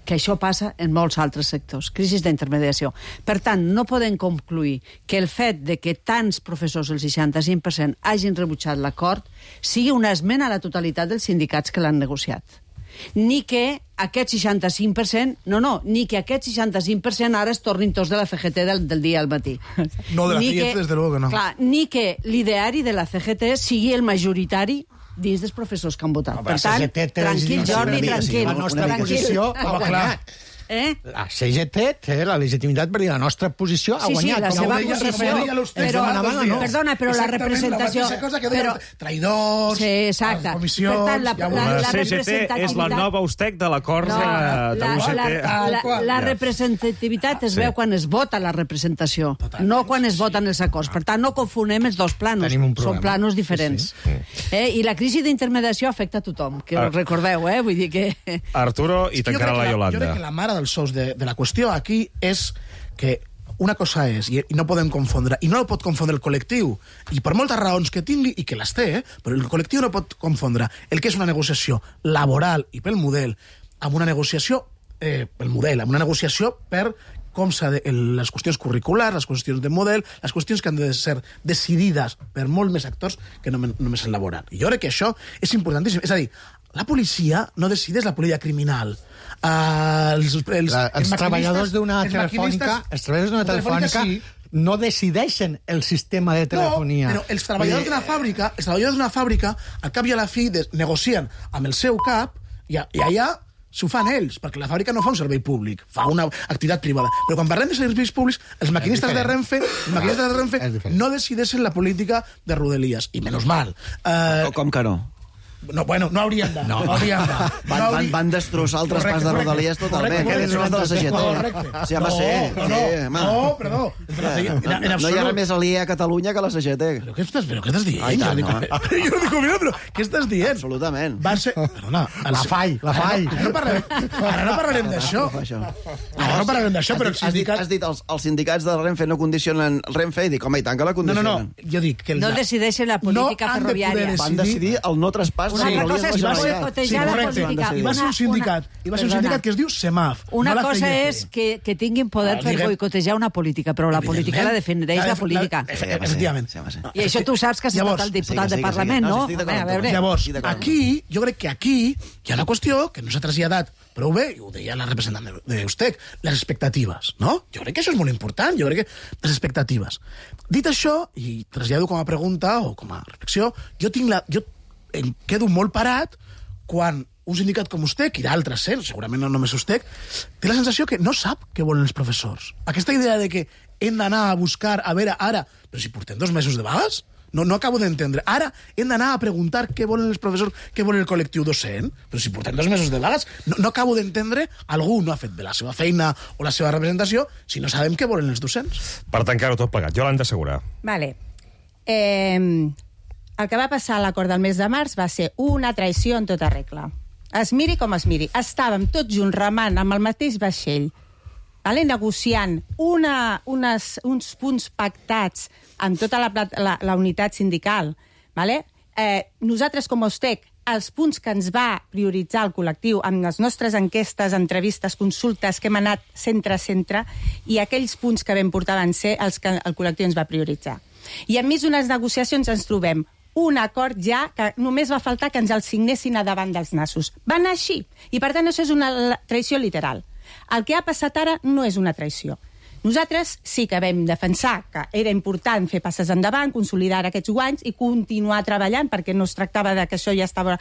que això passa en molts altres sectors, crisis d'intermediació. Per tant, no podem concluir que el fet de que tants professors, el seixanta-cinc per cent, hagin rebutjat l'acord, sigui una esmena a la totalitat dels sindicats que l'han negociat. Ni que aquest seixanta-cinc per cent, no, no, ni que aquest seixanta-cinc per cent ara es tornin tots de la C G T del, del dia al matí. No, de la Ni C G T, desde luego que no. Clar, ni que l'ideari de la C G T sigui el majoritari dins dels professors que han votat. No, per la tant, C G T té tranquil, legitimitat. Jordi, Una mica, sí, tranquil. La nostra tranquil. posició ha guanyat. Eh? La C G T té la legitimitat per dir la nostra posició ha Sí, sí, guanyat. la Com seva ho deia- posició. com ho deia l'Ustez, Però, demanaven o no? perdona, però la Exactament, representació... La mateixa cosa que deia però, el traïdors, sí, exacte. les comissions... Per tant, la, ja ho la, veuràs. la, La C G T és la nova Ustec de l'acord No, de, la, de la, l'U G T. la, la, la Ja. representativitat es Sí. veu quan es vota la representació, no quan es voten els acords. Per tant, no confonem els dos planos. Tenim un problema. Són planos diferents. Sí, sí. Eh? I la crisi d'intermediació afecta a tothom, que Ah. ho recordeu, eh? Vull dir que... Arturo i És que jo tancarà crec la que Jo crec Iolanda. que la mare dels sous de, de la qüestió aquí és que una cosa és, i no podem confondre, i no el pot confondre el col·lectiu, i per moltes raons que tingui, i que les té, eh, però el col·lectiu no pot confondre el que és una negociació laboral i pel model amb una negociació eh, pel model, amb una negociació per com s'ha de, el, les qüestions curriculars, les qüestions de model, les qüestions que han de ser decidides per molt més actors que no, només el laboral. I jo crec que això és importantíssim. És a dir, la policia no decideix la política criminal. Uh, els, els, la, els, els treballadors d'una telefònica, els treballadors d'una telefònica sí, no decideixen el sistema de telefonia. No, però els treballadors d'una fàbrica, els treballadors d'una fàbrica, al cap i a la fi, de, negocien amb el seu cap i, i allà s'ho fan ells, perquè la fàbrica no fa un servei públic, fa una activitat privada. Però quan parlem de serveis públics, els maquinistes de Renfe, els maquinistes de Renfe no decideixen la política de Rodalies, i menys mal. Uh, com que no? No, bueno, no hauríem de. No, no hauríem de. Van, no hauríem... van, van destrossar el traspàs de Rodalies totalment. Que eren els de la C G T. Correcte. Sí, home, sí. No, no, sí, no, perdó. No hi ha res més aliè a Catalunya que la C G T. Però què estàs, però què estàs dient? Ai, tant, no. Jo no dic, mira, però què estàs dient? Absolutament. Va ser... Perdona. La fall, la fall. Ara no parlarem, ara no parlarem d'això. Ara no parlarem d'això, però... Has dit, has dit els, els sindicats de Renfe no condicionen Renfe i dic, home, i tant que la condicionen. No, no, no. Jo dic que... No decideixen la política ferroviària. Van decidir el no traspàs de Rodalies. Va boicotejar la política. I va ser un sindicat, i va ser un sindicat que es diu SEMAF. Una cosa és que, que tinguin poder per boicotejar una política, però la política la defineix la política. Efectivament. I això tu saps que has estat el diputat de Parlament, no? Llavors, aquí, jo crec que aquí hi ha una qüestió que no s'ha traslladat prou bé, i ho deia la representant d'Eustec, les expectatives, no? Jo crec que això és molt important, jo crec que les expectatives. Dit això, i trasllado com a pregunta o com a reflexió, jo tinc la... Jo em quedo molt parat quan un sindicat com Ustec i d'altres, eh, segurament no només Ustec, té la sensació que no sap què volen els professors. Aquesta idea de que hem d'anar a buscar, a veure, ara, però si portem dos mesos de vagues, no, no acabo d'entendre. Ara hem d'anar a preguntar què volen els professors, què volen el col·lectiu docent, però si portem dos mesos de vagues, no, no acabo d'entendre, algú no ha fet bé la seva feina o la seva representació si no sabem què volen els docents. Per tancar-ho tot plegat, Jolanda Segura. Vale. Eh... El que va passar a l'acord del mes de març va ser una traïció en tota regla. Es miri com es miri. Estàvem tots junts remant amb el mateix vaixell, vale? Negociant una, unes, uns punts pactats amb tota la, la, la unitat sindical. Vale? Eh, nosaltres, com a Ustec, els punts que ens va prioritzar el col·lectiu amb les nostres enquestes, entrevistes, consultes que hem anat centre a centre, i aquells punts que vam portar van ser els que el col·lectiu ens va prioritzar. I enmig d'unes negociacions ens trobem un acord ja que només va faltar que ens el signessin a davant dels nassos. Va anar així. I, per tant, això és una traïció literal. El que ha passat ara no és una traïció. Nosaltres sí que vam defensar que era important fer passes endavant, consolidar aquests guanys i continuar treballant, perquè no es tractava de que això ja estava...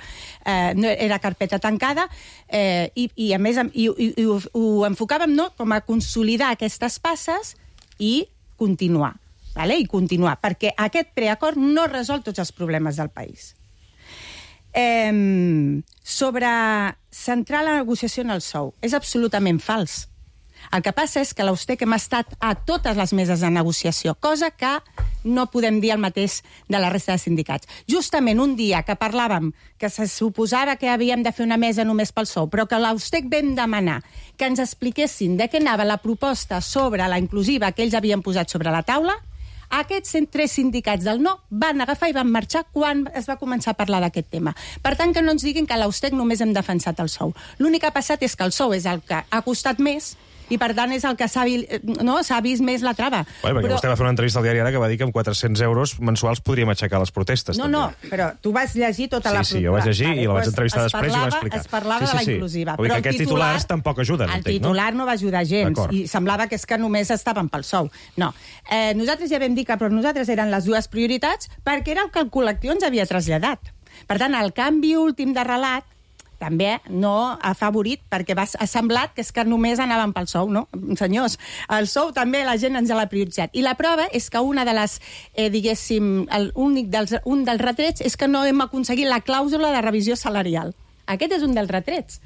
Eh, no era carpeta tancada, eh, i, i, a més, i, i, i ho, ho enfocàvem, no?, com a consolidar aquestes passes i continuar. Vale? I continuar, perquè aquest preacord no resol tots els problemes del país. Eh, sobre centrar la negociació en el sou, és absolutament fals. El que passa és que l'Ustec hem estat a totes les meses de negociació, cosa que no podem dir el mateix de la resta de sindicats. Justament un dia que parlàvem que se suposava que havíem de fer una mesa només pel sou, però que l'Ustec vam demanar que ens expliquessin de què anava la proposta sobre la inclusiva que ells havien posat sobre la taula, aquests tres sindicats del no van agafar i van marxar quan es va començar a parlar d'aquest tema. Per tant, que no ens diguin que a l'Ustec només hem defensat el sou. L'únic que ha passat és que el sou és el que ha costat més i, per tant, és el que s'ha no, s'ha vist més la trava. Bueno, perquè però... vostè va fer una entrevista al diari Ara que va dir que amb quatre-cents euros mensuals podríem aixecar les protestes. No, també. no, però tu vas llegir tota sí, la... Sí, sí, jo vaig llegir vale, i la vaig entrevistar pues després parlava, i va explicar. Es parlava sí, sí, sí. de la inclusiva. Vull dir que aquests titular, titulars tampoc ajuden, el entenc, titular no? no va ajudar gens i semblava que és que només estaven pel sou. No. Eh, nosaltres ja vam dir que per nosaltres eren les dues prioritats perquè era el que el col·lectiu ens havia traslladat. Per tant, el canvi últim de relat també no ha favorit, perquè va, ha semblat que és que només anaven pel sou, no? Senyors, el sou també la gent ens l'ha prioritzat. I la prova és que una de les, eh, diguéssim, el únic dels, un dels retrets és que no hem aconseguit la clàusula de revisió salarial. Aquest és un dels retrets.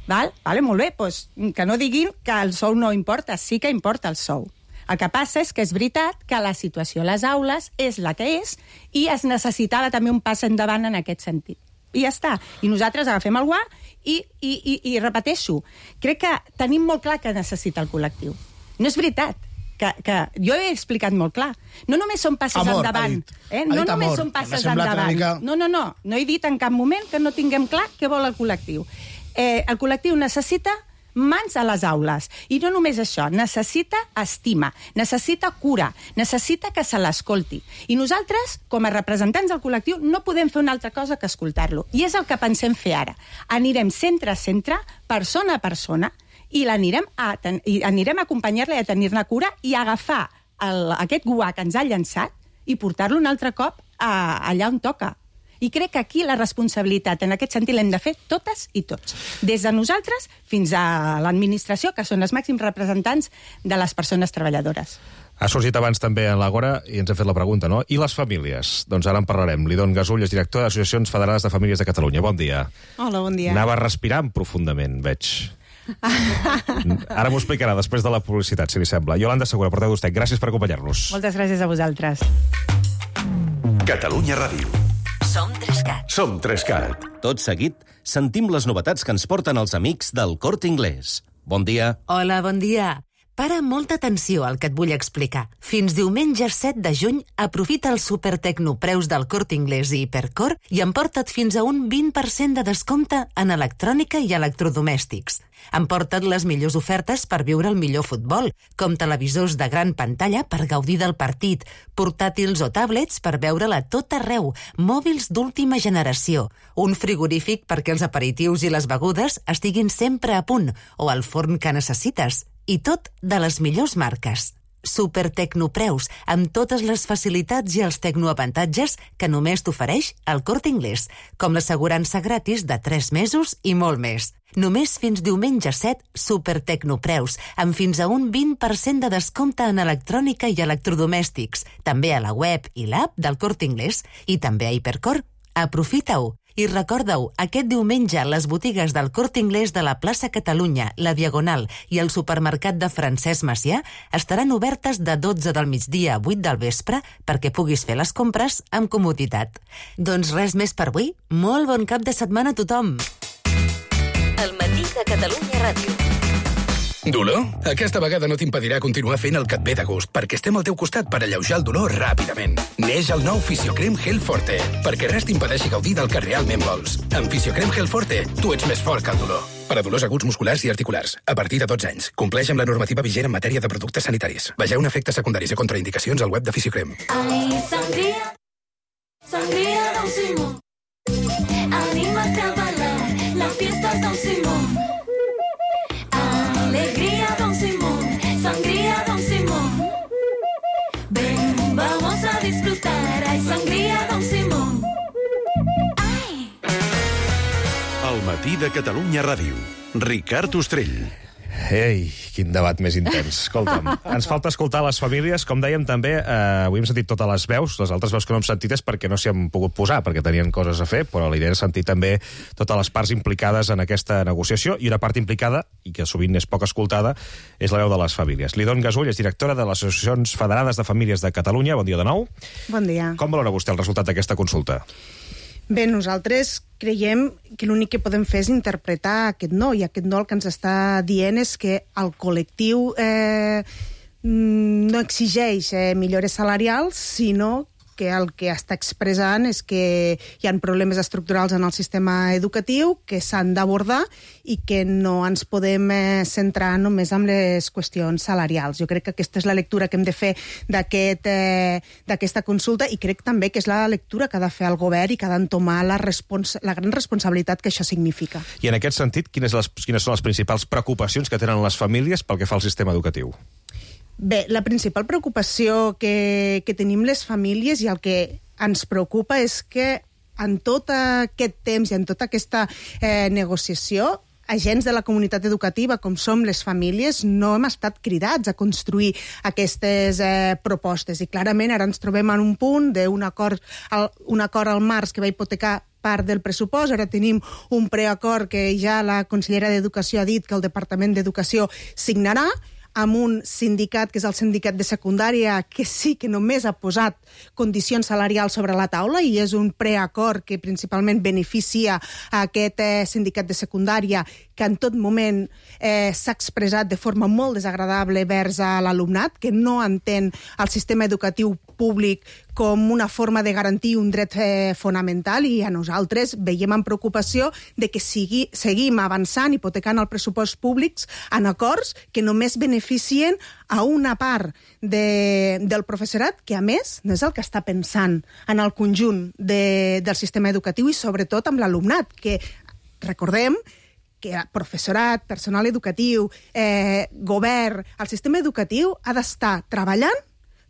Val? Vale, molt bé, doncs que no diguin que el sou no importa, sí que importa el sou. El que passa és que és veritat que la situació a les aules és la que és i es necessitava també un pas endavant en aquest sentit. I ja està. I nosaltres agafem el guà i, i, i, i repeteixo, crec que tenim molt clar que necessita el col·lectiu. No és veritat. Que, que jo he explicat molt clar. No només són passes amor, endavant. Eh? No només amor, són passes endavant. Mica... No, no, no. No he dit en cap moment que no tinguem clar què vol el col·lectiu. Eh, el col·lectiu necessita mans a les aules. I no només això, necessita estima, necessita cura, necessita que se l'escolti. I nosaltres, com a representants del col·lectiu, no podem fer una altra cosa que escoltar-lo. I és el que pensem fer ara. Anirem centre a centre, persona a persona, i l'anirem a, i anirem a acompanyar-la i a tenir-ne cura i a agafar el, aquest guà que ens ha llançat i portar-lo un altre cop a, allà on toca. I crec que aquí la responsabilitat en aquest sentit l'hem de fer totes i tots. Des de nosaltres fins a l'administració, que són els màxims representants de les persones treballadores. Ha sorgit abans també en l'Àgora i ens ha fet la pregunta, no? I les famílies? Doncs ara en parlarem. Lidon Gasull és director d'Associacions Federades de Famílies de Catalunya. Bon dia. Hola, bon dia. Anava respirant profundament, veig. Ara m'ho explicarà després de la publicitat, si li sembla. Iolanda Segura, porteu d'Ustec, gràcies per acompanyar-nos. Moltes gràcies a vosaltres. Catalunya Ràdio. Som Trescat. Som Trescat. Tot seguit, sentim les novetats que ens porten els amics del Corte Inglés. Bon dia. Hola, bon dia. Para molta atenció al que et vull explicar. Fins diumenge set de juny, aprofita els supertecnopreus del Corte Inglés i Hipercor i emporta't fins a un vint per cent de descompte en electrònica i electrodomèstics. Emporta't les millors ofertes per viure el millor futbol, com televisors de gran pantalla per gaudir del partit, portàtils o tablets per veure-la tot arreu, mòbils d'última generació, un frigorífic perquè els aperitius i les begudes estiguin sempre a punt, o el forn que necessites, i tot de les millors marques. Supertecnopreus, amb totes les facilitats i els tecnoavantatges que només t'ofereix el Corte Inglés, com l'assegurança gratis de tres mesos i molt més. Només fins diumenge set, Supertecnopreus, amb fins a un vint per cent de descompte en electrònica i electrodomèstics, també a la web i l'app del Corte Inglés, i també a Hipercor. Aprofita-ho! I recorda-ho, aquest diumenge les botigues del Corte Inglés de la plaça Catalunya, la Diagonal i el supermercat de Francesc Macià estaran obertes de dotze del migdia a vuit del vespre perquè puguis fer les compres amb comoditat. Doncs res més per avui. Molt bon cap de setmana a tothom! El matí de Catalunya Ràdio. Dolor? Aquesta vegada no t'impedirà continuar fent el que et ve de gust, perquè estem al teu costat per alleujar el dolor ràpidament. Neix el nou Fisiocrem Gel Forte, perquè res t'impedeixi gaudir del que realment vols. Amb Fisiocrem Gel Forte, tu ets més fort que el dolor. Per a dolors aguts musculars i articulars, a partir de dotze anys. Compleix amb la normativa vigent en matèria de productes sanitaris. Vegeu efectes secundaris i contraindicacions al web de Fisiocrem. Ai, sangria, sangria Don Simón. Anímate a bailar, la fiesta es Don Simón. Alegría, Don Simón, sangría, Don Simón. Ven, vamos a disfrutar, hay sangría, Don Simón. Ay. El matí de Catalunya Ràdio. Ricard Ostrell. Ei, quin debat més intens. Escolta'm, ens falta escoltar les famílies. Com dèiem també, eh, avui hem sentit totes les veus. Les altres veus que no hem sentit és perquè no s'hi han pogut posar, perquè tenien coses a fer, però l'idea és sentir també totes les parts implicades en aquesta negociació, i una part implicada, i que sovint és poc escoltada, és la veu de les famílies. Lidon Gasull és directora de les Associacions Federades de Famílies de Catalunya. Bon dia de nou. Bon dia. Com valora vostè el resultat d'aquesta consulta? Bé, nosaltres creiem que l'únic que podem fer és interpretar aquest no, i aquest no el que ens està dient és que el col·lectiu eh, no exigeix eh, millores salarials, sinó que el que està expressant és que hi ha problemes estructurals en el sistema educatiu que s'han d'abordar i que no ens podem eh, centrar només en les qüestions salarials. Jo crec que aquesta és la lectura que hem de fer d'aquesta aquest, eh, consulta, i crec també que és la lectura que ha de fer el govern i que ha d'entomar la, respons la gran responsabilitat que això significa. I en aquest sentit, quines, les, quines són les principals preocupacions que tenen les famílies pel que fa al sistema educatiu? Bé, la principal preocupació que, que tenim les famílies i el que ens preocupa és que en tot aquest temps i en tota aquesta eh, negociació, agents de la comunitat educativa, com som les famílies, no hem estat cridats a construir aquestes eh, propostes. I clarament ara ens trobem en un punt d'un acord, al, un acord al març que va hipotecar part del pressupost. Ara tenim un preacord que ja la consellera d'Educació ha dit que el Departament d'Educació signarà, amb un sindicat, que és el sindicat de secundària, que sí que només ha posat condicions salarials sobre la taula, i és un preacord que principalment beneficia a aquest eh, sindicat de secundària, que en tot moment eh, s'ha expressat de forma molt desagradable vers a l'alumnat, que no entén el sistema educatiu públic com una forma de garantir un dret eh, fonamental, i a nosaltres veiem amb preocupació de que sigui, seguim avançant, hipotecant el pressupost públics en acords que només beneficien a una part de, del professorat que, a més, no és el que està pensant en el conjunt de, del sistema educatiu i, sobretot, amb l'alumnat, que, recordem, que professorat, personal educatiu, eh, govern, el sistema educatiu ha d'estar treballant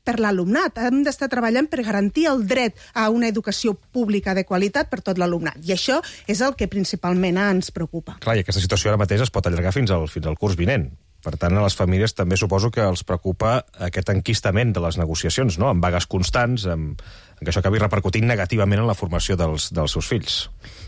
per l'alumnat, hem d'estar treballant per garantir el dret a una educació pública de qualitat per tot l'alumnat. I això és el que principalment ens preocupa. Clar, i aquesta situació ara mateix es pot allargar fins al, fins al curs vinent. Per tant, a les famílies també suposo que els preocupa aquest enquistament de les negociacions, no?, amb vagues constants, amb, amb que això acabi repercutint negativament en la formació dels, dels seus fills.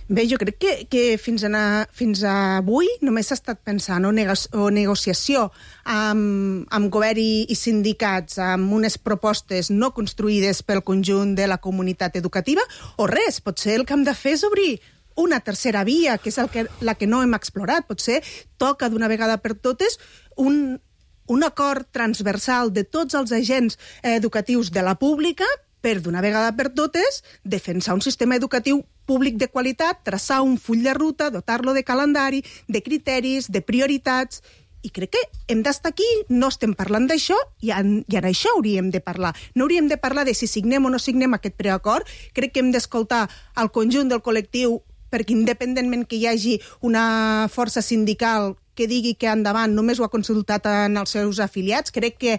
Bé, jo crec que, que fins, a, fins a avui només s'ha estat pensant o, nego, o negociació amb, amb govern i, i sindicats, amb unes propostes no construïdes pel conjunt de la comunitat educativa, o res. Potser el que hem de fer és obrir una tercera via, que és el que, la que no hem explorat. Potser toca d'una vegada per totes un, un acord transversal de tots els agents educatius de la pública per, d'una vegada per totes, defensar un sistema educatiu públic de qualitat, traçar un full de ruta, dotar-lo de calendari, de criteris, de prioritats. I crec que hem d'estar aquí, no estem parlant d'això, i en, i en això hauríem de parlar. No hauríem de parlar de si signem o no signem aquest preacord. Crec que hem d'escoltar el conjunt del col·lectiu, perquè independentment que hi hagi una força sindical que digui que endavant només ho ha consultat en els seus afiliats, crec que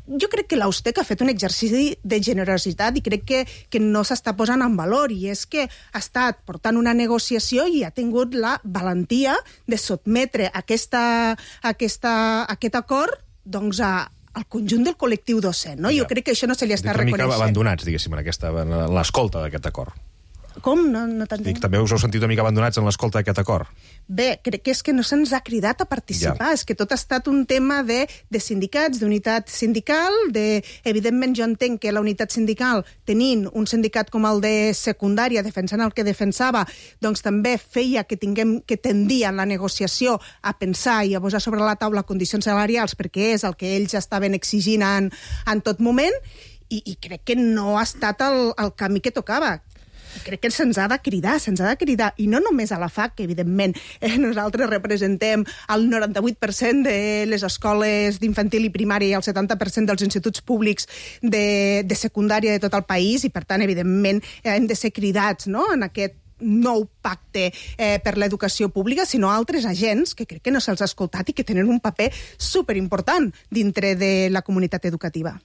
jo crec que l'Austec ha fet un exercici de generositat i crec que, que no s'està posant en valor, i és que ha estat portant una negociació i ha tingut la valentia de sotmetre aquesta, aquesta, aquest acord doncs, a, al conjunt del col·lectiu docent. No? Jo crec que això no se li està reconeixent. Una mica abandonats, diguéssim, en, aquesta, en l'escolta d'aquest acord. Com? No, no t'entenc. També us heu sentit una mica abandonats en l'escolta d'aquest acord? Bé, crec que és que no se'ns ha cridat a participar. Ja. És que tot ha estat un tema de, de sindicats, d'unitat sindical, de, evidentment jo entenc que la unitat sindical, tenint un sindicat com el de secundària, defensant el que defensava, doncs també feia que tinguem que tendir en la negociació a pensar i a posar sobre la taula condicions salarials, perquè és el que ells estaven exigint en, en tot moment, i, i crec que no ha estat el, el camí que tocava. Crec que se'ns ha de cridar, se'ns ha de cridar, i no només a la F A C, que evidentment eh, nosaltres representem el noranta-vuit per cent de les escoles d'infantil i primària i el setanta per cent dels instituts públics de, de secundària de tot el país, i per tant, evidentment, eh, hem de ser cridats, no?, en aquest nou pacte eh, per l'educació pública, sinó altres agents que crec que no se'ls ha escoltat i que tenen un paper superimportant dintre de la comunitat educativa.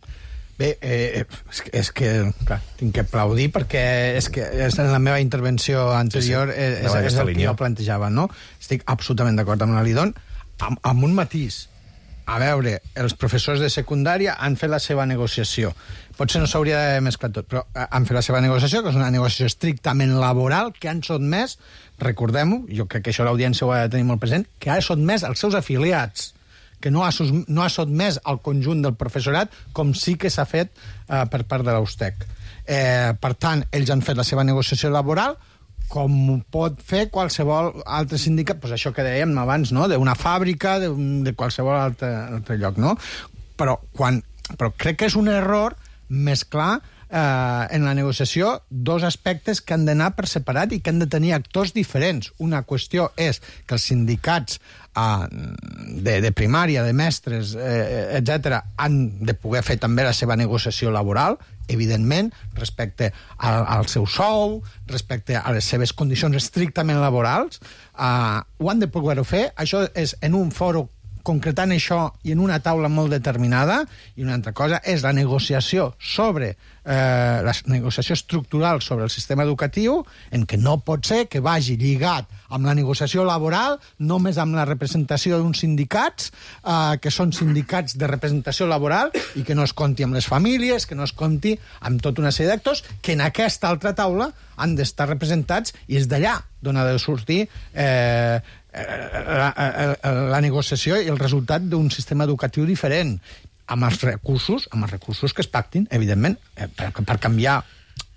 Bé, eh, és, que, és que, clar, tinc que aplaudir perquè és que és en la meva intervenció anterior sí, sí. és, és, és el que jo plantejava, no? Estic absolutament d'acord amb la Lidon, amb, amb un matís. A veure, els professors de secundària han fet la seva negociació. Potser no s'hauria de mesclar tot, però han fet la seva negociació, que és una negociació estrictament laboral, que han sotmès, recordem-ho, jo crec que això l'audiència ho ha de tenir molt present, que ha sotmès els seus afiliats, que no ha, no ha sotmès al conjunt del professorat, com sí que s'ha fet eh, per part de l'Austec. Eh, per tant, ells han fet la seva negociació laboral, com pot fer qualsevol altre sindicat, doncs això que dèiem abans, no?, d'una fàbrica, de, de qualsevol altre, altre lloc, no? Però, quan, però crec que és un error mesclar eh, en la negociació dos aspectes que han d'anar per separat i que han de tenir actors diferents. Una qüestió és que els sindicats Uh, de, de primària, de mestres, eh, etcètera, han de poder fer també la seva negociació laboral, evidentment, respecte al, al seu sou, respecte a les seves condicions estrictament laborals. Uh, ho han de poder fer. Això és en un foro concretant això i en una taula molt determinada, i una altra cosa és la negociació sobre eh, la negociació estructural sobre el sistema educatiu, en què no pot ser que vagi lligat amb la negociació laboral, només amb la representació d'uns sindicats, eh, que són sindicats de representació laboral, i que no es compti amb les famílies, que no es compti amb tota una sèrie d'actors, que en aquesta altra taula han d'estar representats, i és d'allà d'on ha de sortir eh, La, la, la negociació i el resultat d'un sistema educatiu diferent, amb els recursos, amb els recursos que es pactin, evidentment, per, per canviar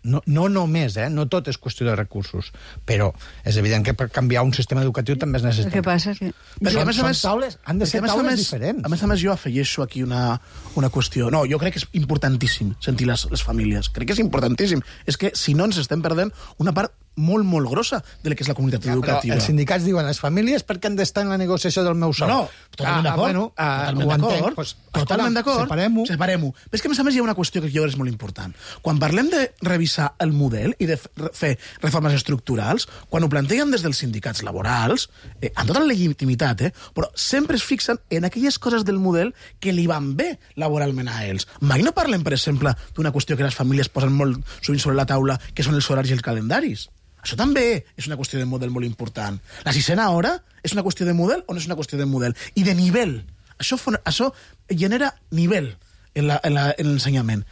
No, no només, eh? No tot és qüestió de recursos, però és evident que per canviar un sistema educatiu també es necessita. El que passa és que... Perquè, a més a Són més, taules, han de ser perquè, a més a taules més- diferents. A més a més, jo afegeixo aquí una, una qüestió. No, jo crec que és importantíssim sentir les, les famílies. Crec que és importantíssim. És que, si no, ens estem perdent una part molt, molt grossa de la que és la comunitat Ja, però educativa. els sindicats diuen les famílies perquè han d'estar en la negociació del meu sou. No, no, totalment Ah, d'acord. bueno, ah, totalment ho entenc. d'acord. Pues, totalment escolta, d'acord. separem-ho. Separem-ho. Però és que, a més a més, hi ha una qüestió que jo crec que és molt important. Quan parlem de revisar el model i de f- fer reformes estructurals, quan ho plantegen des dels sindicats laborals, eh, amb tota la legitimitat, eh, però sempre es fixen en aquelles coses del model que li van bé laboralment a ells. Mai no parlem, per exemple, d'una qüestió que les famílies posen molt sovint sobre la taula, que són els horaris i els calendaris. Això també és una qüestió de model molt important. La sisena hora és una qüestió de model o no és una qüestió de model? I de nivell. Això, fon- això genera nivell en la- en la- en l'ensenyament.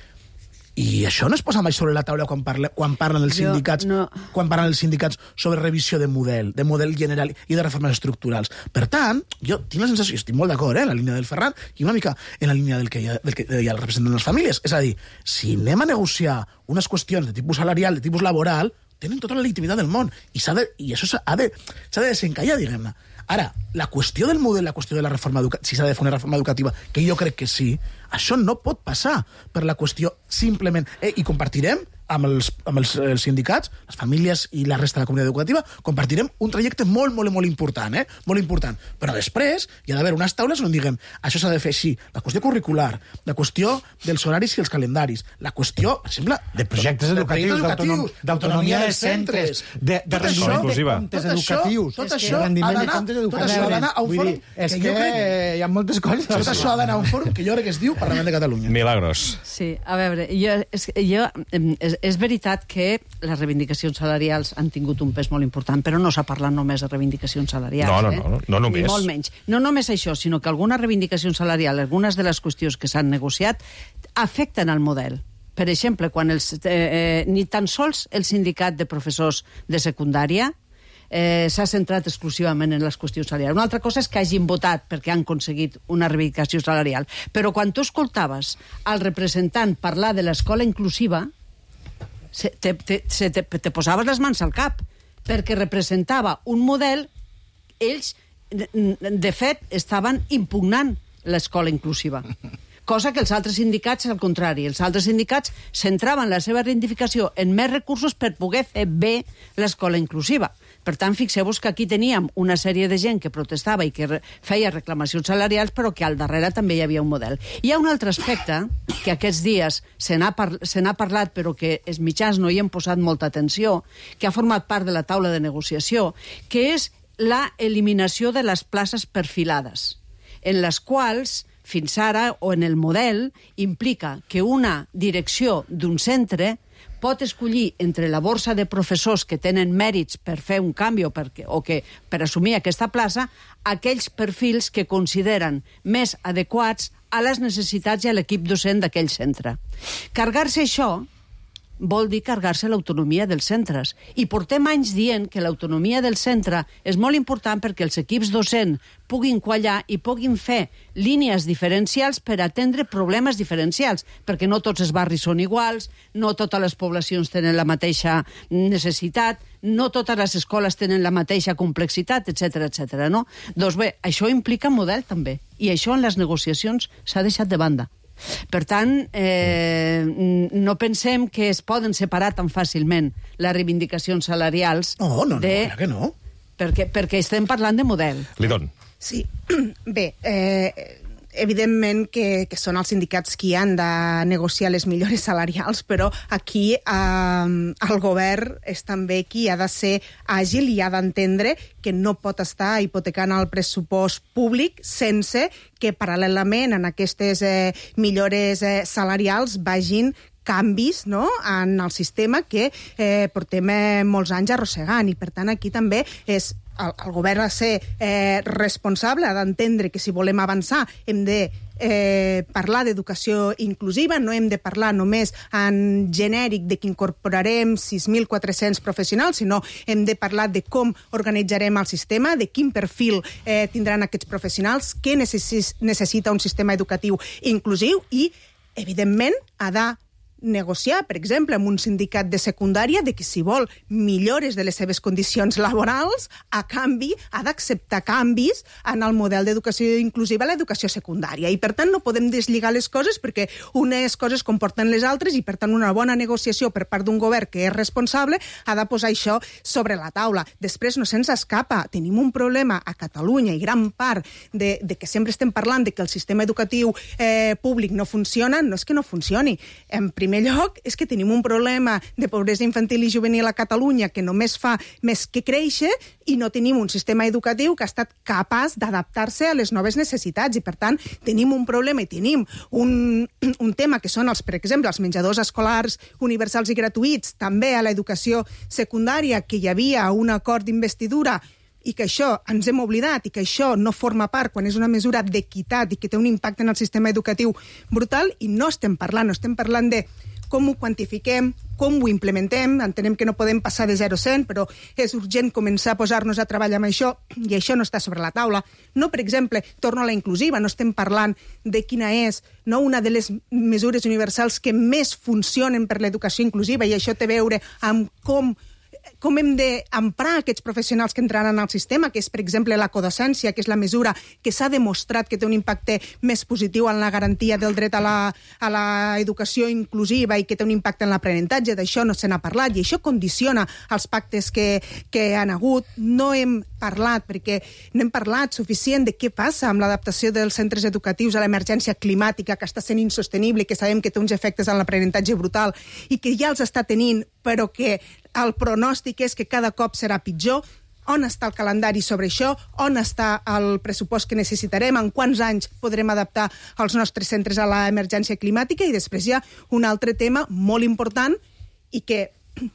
I això no es posa mai sobre la taula quan, parle, quan parlen els Jo sindicats no. quan parlen els sindicats sobre revisió de model, de model general i de reformes estructurals. Per tant, jo tinc la sensació, estic molt d'acord, eh, en la línia del Ferran i una mica en la línia del que hi ha, del que hi ha el representant de les famílies. És a dir, si anem a negociar unes qüestions de tipus salarial, de tipus laboral, tenen tota la legitimitat del món i, s'ha de, i això s'ha de, s'ha de desencallar, diguem-ne. Ara, la qüestió del model, la qüestió de la reforma educativa, si s'ha de fer una reforma educativa, que jo crec que sí, això no pot passar per la qüestió simplement... Eh, I compartirem amb, els, amb els, els sindicats, les famílies i la resta de la comunitat educativa, compartirem un trajecte molt, molt, molt important, eh? Molt important. Però després hi ha d'haver unes taules on diguem això s'ha de fer així. La qüestió curricular, la qüestió dels horaris i els calendaris, la qüestió, per exemple... De projectes de educatius, d'autonom- d'autonomia dels centres, de, de Tot rendició això- de comptes tot això- educatius, tot és que això rendiment ha de d'anar- comptes tot educatius. això ha d'anar a un Vull fòrum dir, és que que jo crec- hi ha moltes coses. Tot això ha d'anar a un fòrum que jo crec que es diu Parlament de Catalunya. Milagros. Sí, a veure, jo, és, jo, em, és, és veritat que les reivindicacions salarials han tingut un pes molt important, però no s'ha parlat només de reivindicacions salarials. No, no, eh? no, no, no només. Ni molt menys. No només això, sinó que algunes reivindicacions salarials, algunes de les qüestions que s'han negociat, afecten al model. Per exemple, quan els, eh, eh, ni tan sols el sindicat de professors de secundària eh, s'ha centrat exclusivament en les qüestions salarials. Una altra cosa és que hagin votat perquè han aconseguit una reivindicació salarial. Però quan tu escoltaves al representant parlar de l'escola inclusiva, se, te, te, se te, te posaves les mans al cap, perquè representava un model, ells, de, de fet, estaven impugnant l'escola inclusiva. Cosa que els altres sindicats, al contrari, els altres sindicats centraven la seva reivindicació en més recursos per poder fer bé l'escola inclusiva. Per tant, fixeu-vos que aquí teníem una sèrie de gent que protestava i que re feia reclamacions salarials, però que al darrere també hi havia un model. Hi ha un altre aspecte que aquests dies se n'ha par parlat, però que els mitjans no hi han posat molta atenció, que ha format part de la taula de negociació, que és la eliminació de les places perfilades, en les quals fins ara, o en el model, implica que una direcció d'un centre pot escollir entre la borsa de professors que tenen mèrits per fer un canvi o per, o que, per assumir aquesta plaça, aquells perfils que consideren més adequats a les necessitats i a l'equip docent d'aquell centre. Carregar-se això vol dir carregar-se l'autonomia dels centres. I portem anys dient que l'autonomia del centre és molt important perquè els equips docents puguin quallar i puguin fer línies diferencials per atendre problemes diferencials, perquè no tots els barris són iguals, no totes les poblacions tenen la mateixa necessitat, no totes les escoles tenen la mateixa complexitat, etcètera, etcètera, no? Doncs bé, això implica model també, i això en les negociacions s'ha deixat de banda. Per tant, eh, no pensem que es poden separar tan fàcilment les reivindicacions salarials. No, no, no, de... clar que no. Perquè, perquè estem parlant de model. Lidón. Sí, bé, eh, evidentment que, que són els sindicats qui han de negociar les millores salarials, però aquí eh, el govern és també qui ha de ser àgil i ha d'entendre que no pot estar hipotecant el pressupost públic sense que paral·lelament en aquestes eh, millores eh, salarials vagin canvis, no?, en el sistema que eh, portem eh, molts anys arrossegant. I, per tant, aquí també és el, el govern ha de ser eh, responsable, ha d'entendre que si volem avançar hem de eh, parlar d'educació inclusiva, no hem de parlar només en genèric de que incorporarem sis mil quatre-cents professionals, sinó hem de parlar de com organitzarem el sistema, de quin perfil eh, tindran aquests professionals, què necessis, necessita un sistema educatiu inclusiu i, evidentment, ha de negociar, per exemple, amb un sindicat de secundària de que si vol millores de les seves condicions laborals, a canvi ha d'acceptar canvis en el model d'educació inclusiva a l'educació secundària. I, per tant, no podem deslligar les coses perquè unes coses comporten les altres i, per tant, una bona negociació per part d'un govern que és responsable ha de posar això sobre la taula. Després no se'ns escapa. Tenim un problema a Catalunya i gran part de, de que sempre estem parlant de que el sistema educatiu eh, públic no funciona, no és que no funcioni. En primer lloc, és que tenim un problema de pobresa infantil i juvenil a Catalunya que només fa més que créixer i no tenim un sistema educatiu que ha estat capaç d'adaptar-se a les noves necessitats i, per tant, tenim un problema i tenim un, un tema que són, els, per exemple, els menjadors escolars universals i gratuïts, també a l'educació secundària, que hi havia un acord d'investidura i que això ens hem oblidat i que això no forma part quan és una mesura d'equitat i que té un impacte en el sistema educatiu brutal, i no estem parlant, no estem parlant de com ho quantifiquem, com ho implementem. Entenem que no podem passar de zero a cent, però és urgent començar a posar-nos a treballar amb això, i això no està sobre la taula. No, per exemple, torno a la inclusiva, no estem parlant de quina és no, una de les mesures universals que més funcionen per l'educació inclusiva, i això té a veure amb com com hem d'emprar aquests professionals que entraran al sistema, que és, per exemple, la codocència, que és la mesura que s'ha demostrat que té un impacte més positiu en la garantia del dret a la, a la educació inclusiva i que té un impacte en l'aprenentatge. D'això no se n'ha parlat i això condiciona els pactes que, que han hagut. No hem parlat, perquè no hem parlat suficient de què passa amb l'adaptació dels centres educatius a l'emergència climàtica, que està sent insostenible i que sabem que té uns efectes en l'aprenentatge brutal i que ja els està tenint, però que el pronòstic és que cada cop serà pitjor. On està el calendari sobre això? On està el pressupost que necessitarem? En quants anys podrem adaptar els nostres centres a l'emergència climàtica? I després hi ha un altre tema molt important i que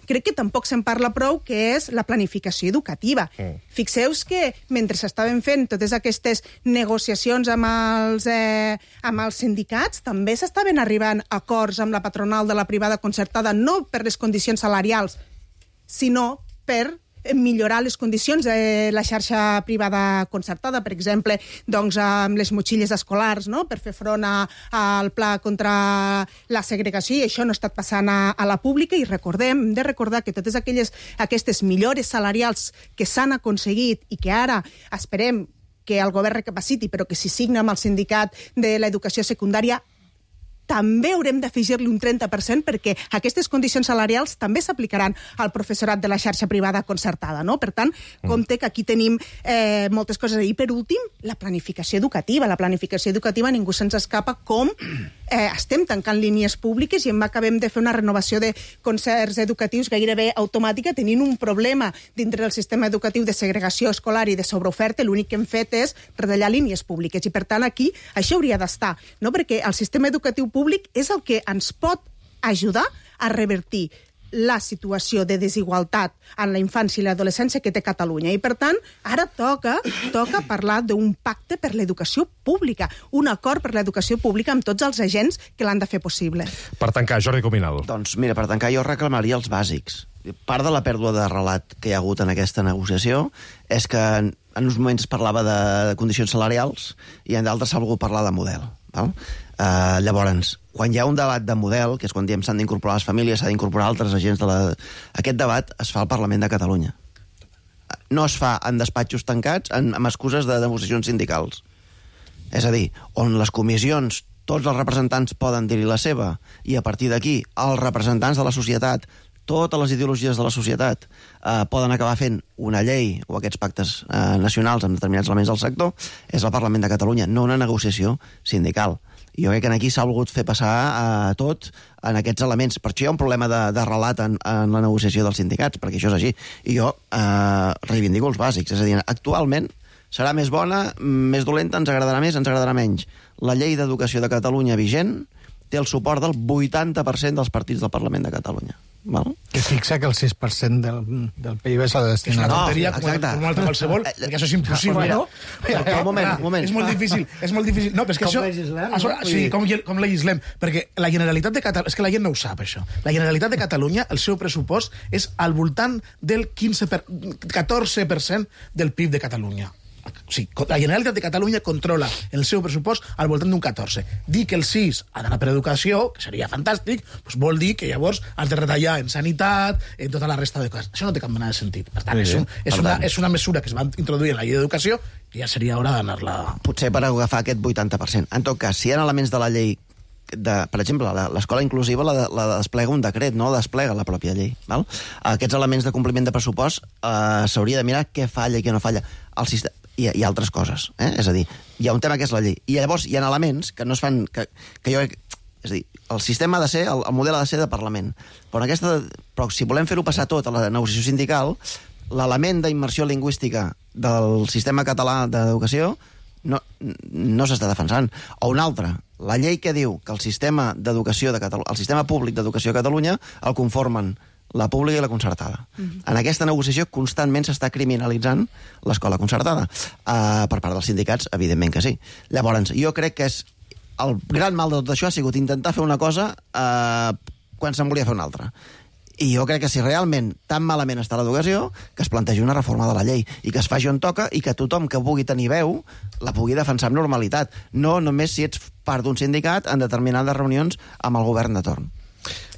crec que tampoc se'n parla prou, que és la planificació educativa. Mm. Fixeu-vos que mentre s'estaven fent totes aquestes negociacions amb els, eh, amb els sindicats, també s'estaven arribant a acords amb la patronal de la privada concertada, no per les condicions salarials, sinó per millorar les condicions de la xarxa privada concertada, per exemple, doncs, amb les motxilles escolars, no?, per fer front a, al pla contra la segregació, i això no ha estat passant a, a la pública. I recordem, hem de recordar que totes aquelles, aquestes millores salarials que s'han aconseguit i que ara esperem que el govern recapaciti, però que s'hi signa amb el sindicat de l'educació secundària, també haurem d'afegir-li un trenta per cent perquè aquestes condicions salarials també s'aplicaran al professorat de la xarxa privada concertada, no? Per tant, compte que aquí tenim eh, moltes coses. I per últim, la planificació educativa. La planificació educativa ningú se'ns escapa com eh, estem tancant línies públiques i en acabem de fer una renovació de concerts educatius gairebé automàtica, tenint un problema dintre del sistema educatiu de segregació escolar i de sobreoferta. L'únic que hem fet és retallar línies públiques i, per tant, aquí això hauria d'estar, no? Perquè el sistema educatiu públic és el que ens pot ajudar a revertir la situació de desigualtat en la infància i l'adolescència que té Catalunya. I, per tant, ara toca, toca parlar d'un pacte per l'educació pública, un acord per l'educació pública amb tots els agents que l'han de fer possible. Per tancar, Jordi Cominal. Doncs mira, per tancar jo reclamaria els bàsics. Part de la pèrdua de relat que hi ha hagut en aquesta negociació és que en, en uns moments es parlava de condicions salarials i en d'altres s'ha volgut parlar de model. Val? Uh, llavors, quan hi ha un debat de model, que és quan diem s'han d'incorporar les famílies, s'ha d'incorporar altres agents de la... Aquest debat es fa al Parlament de Catalunya. No es fa en despatxos tancats en, amb excuses de negociacions sindicals. És a dir, on les comissions, tots els representants poden dir-hi la seva, i a partir d'aquí els representants de la societat, totes les ideologies de la societat eh, poden acabar fent una llei o aquests pactes eh, nacionals amb determinats elements del sector, és el Parlament de Catalunya, no una negociació sindical. I jo crec que aquí s'ha volgut fer passar eh, tot en aquests elements. Per això hi ha un problema de, de relat en, en la negociació dels sindicats, perquè això és així. I jo eh, reivindico els bàsics. És a dir, actualment serà més bona, més dolenta, ens agradarà més, ens agradarà menys. La llei d'educació de Catalunya vigent té el suport del vuitanta per cent dels partits del Parlament de Catalunya. Val? Que fixa que el sis per cent del, del P I B s'ha de destinar. És una tonteria, no, com, com una altra qualsevol, perquè això és impossible, no? Però, un moment, un moment. És molt difícil, és molt difícil. No, però és que com això... legislem, això no? Sí, com, com legislem. Perquè la Generalitat de Catalunya... És que la gent no ho sap, això. La Generalitat de Catalunya, el seu pressupost és al voltant del quinze per... catorze per cent del P I B de Catalunya. O sigui, la Generalitat de Catalunya controla el seu pressupost al voltant d'un catorze. Dir que el sis ha d'anar per educació, que seria fantàstic, doncs vol dir que llavors has de retallar en sanitat, en tota la resta de coses. Això no té cap mena de sentit. Per tant, és, un, és, una, és una mesura que es va introduir en la llei d'educació i ja seria hora d'anar-la... Potser per agafar aquest vuitanta per cent. En tot cas, si hi ha elements de la llei de, per exemple, l'escola inclusiva la, la desplega un decret, no la desplega la pròpia llei. Val? Aquests elements de compliment de pressupost eh, s'hauria de mirar què falla i què no falla. El sistema, i, i altres coses. Eh? És a dir, hi ha un tema que és la llei. I llavors hi ha elements que no es fan... Que, que jo, és a dir, el sistema ha de ser, el, el model ha de ser de Parlament. Però, aquesta, però si volem fer-ho passar tot a la negociació sindical, l'element d'immersió lingüística del sistema català d'educació no, no s'està defensant. O un altre, la llei que diu que el sistema d'educació de Catalunya, el sistema públic d'educació a Catalunya el conformen la pública i la concertada. Mm-hmm. En aquesta negociació constantment s'està criminalitzant l'escola concertada. Uh, per part dels sindicats, evidentment que sí. Llavors, jo crec que és el gran mal de tot això ha sigut intentar fer una cosa uh, quan se'n volia fer una altra. I jo crec que si realment tan malament està l'educació, que es plantegi una reforma de la llei i que es faci on toca i que tothom que pugui tenir veu la pugui defensar amb normalitat. No només si ets part d'un sindicat en determinades reunions amb el govern de torn.